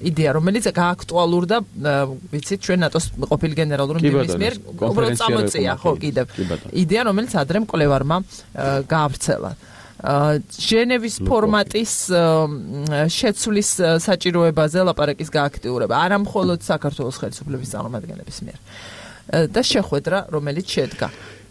იდეა, რომელიც გააქტუალურდა, ვიცით, ჩვენ ნატოს ყოფილი გენერალური მდივნის მიერ უბრალოდ წამოწია, ხო, კიდევ. იდეა, რომელიც ადრე მკვლევარმა გაავრცელა. ჟენევის ფორმატის შეცვლის საჭიროებაზე ლაპარაკის გააქტიურება, არა მხოლოდ საქართველოს ხელისუფლების წარმომადგენლების მიერ. და შეხვედრა, რომელიც შედგა.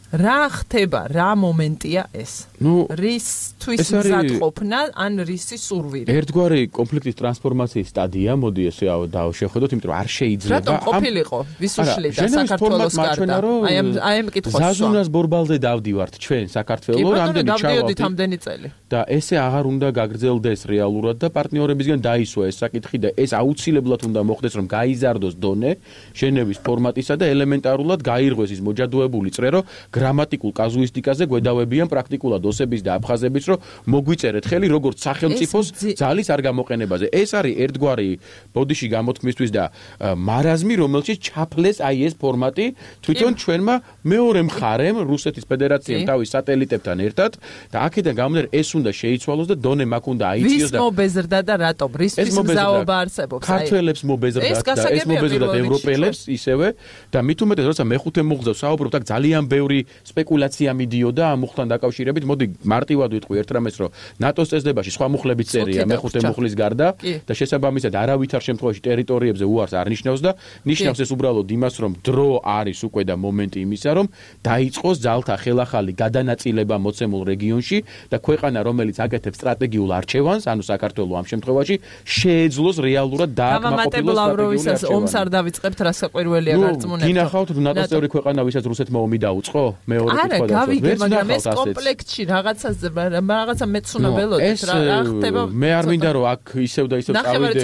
რა ხდება, რა მომენტია ეს? რისთვის მზადყოფნა, ან რისი სურვილი? ერთგვარი კონფლიქტის ტრანსფორმაციის სტადია, მოდი ესე დავშეხვედროთ, იმიტომ რომ არ შეიძლება. რატომ ყოფილიყო? ვის უშლიდა საქართველოს გარდა? აი ამ კითხვას. ზაზუნას ბორბალზე დავდივართ ჩვენ საქართველოს, რამდენი ჩავავდით ამდენი წელი. და ესე აღარ უნდა გაგრძელდეს რეალურად და პარტნიორებისგან დაისვა ეს საკითხი და ეს აუცილებლად უნდა მოხდეს, რომ გაიზარდოს დონე ჟენევის ფორმატისა და ელემენტარულად გაირღვეს ის მოჯადოებული წრე, რომ გრამატიკულ კაზუისტიკაზე გვედავებიან პრაქტიკულად ოსების და აფხაზების, რომ მოგვიწერეთ ხელი როგორც სახელმწიფოს ძალის არ გამოყენებაზე. ეს არის ერთგვარი ბოდიში გამოთქმისთვის და მარაზმი, რომელშიც ჩაფლეს აი ეს ფორმატი თვითონ ჩვენმა მეორე მხარემ, რუსეთის ფედერაციამ თავის სატელიტებთან ერთად და აქედან გამომდინარე ეს უნდა შეიცვალოს და დონე მაქვს უნდა აიწიოს და ვის მობეზრდა და რატომ? რისთვის მზაობა არსებობს? ქართველებს მობეზრდა და ეს მობეზრდა ევროპელებს ისევე და მით უმეტეს როცა მეხუთე მუხლზე საუბრობთ, აქ ძალიან ბევრი სპეკულაცია მიდიოდა ამ მუხლთან დაკავშირებით. მოდი მარტივად ვიტყვი ერთ რამეს, რომ ნატოს წესდებაში სხვა მუხლების წერია მეხუთე მუხლის გარდა და შესაბამისად არავითარ შემთხვევაში ტერიტორიებზე უარს არ ნიშნავს და ნიშნავს ეს უბრალოდ იმას, რომ დრო არის უკვე და მომენტი იმისა, რომ დაიწყოს ძალთა ხელახალი გადანაწილება მოცემულ რეგიონში და ქვეყანა, რომელიც აკეთებს სტრატეგიულ არჩევანს, ანუ საქართველოს ამ შემთხვევაში შეეძლოს რეალურად დააკმაყოფილოს ლავროვისას ომს არ დავიწყებთ, რა საყვირველია გარწმუნებთ. გინახავთ ნატოს წევრი ქვეყანა, ვისაც რუსეთმა ომი დაუწყო? მეორე კითხვა არა, გავიგე, მაგრამ ეს კომპლექტში რაღაცა მეცნიერებელოდით რა ხდება? მე არ მინდა რომ აქ ისევ და ისევ წავიდე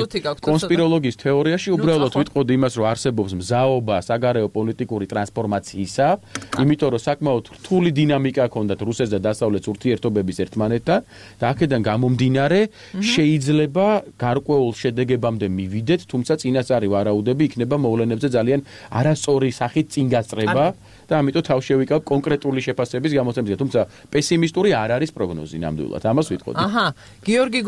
კონსპიროლოგიის თეორიაში, უბრალოდ ვიტყოდი იმას, რომ არსებობს მზაობა საგარეო პოლიტიკური ტრანსფორმაციისა, იმიტომ რომ საკმაოდ რთული დინამიკა ჰქონდათ რუსეთს და დასავლეთს ურთიერთობების ერთმანეთთან და აქედან გამომდინარე შეიძლება გარკვეულ შედეგებამდე მივიდეთ, თუმცა წინასწარი ვარაუდები იქნება მოვლენებზე ძალიან არასწორი სახით წინ გასწრება და ამიტომ თავ შევიკავ კონკრეტული შეფასების გამოცემაზე, თუმცა პესიმისტური არ არის პროგნოზი ნამდვილად. ამას ვიტყოდი. გიორგი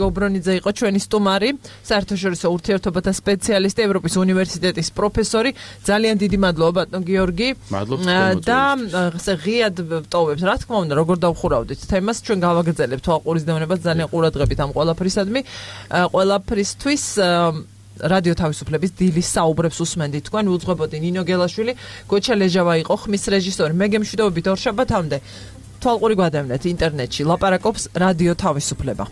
გობრონიძე იყო ჩვენი სტუმარი, საერთაშორისო ურთიერთობათა სპეციალისტი, ევროპის უნივერსიტეტის პროფესორი. ძალიან დიდი მადლობა ბატონ გიორგი. და ღიად ვტოვებთ, რა თქმა უნდა, როგორ დავხურავდით თემას, ჩვენ გავაგრძელებთ თვალყურისდევნებას ძალიან ყურადღებით ამ ყველაფრისადმი, ყველაფრისთვის რადიო თავისუფლების დილის საუბრებს უსმენდით თქვენ, უძღვებოდი ნინო გელაშვილი, გოჩა ლეჟავა იყო ხმის რეჟისორი. მე გემშვიდობებით ორ შაბათამდე თვალყური გვადევნეთ ინტერნეტში, ლაპარაკობს რადიო თავისუფლება.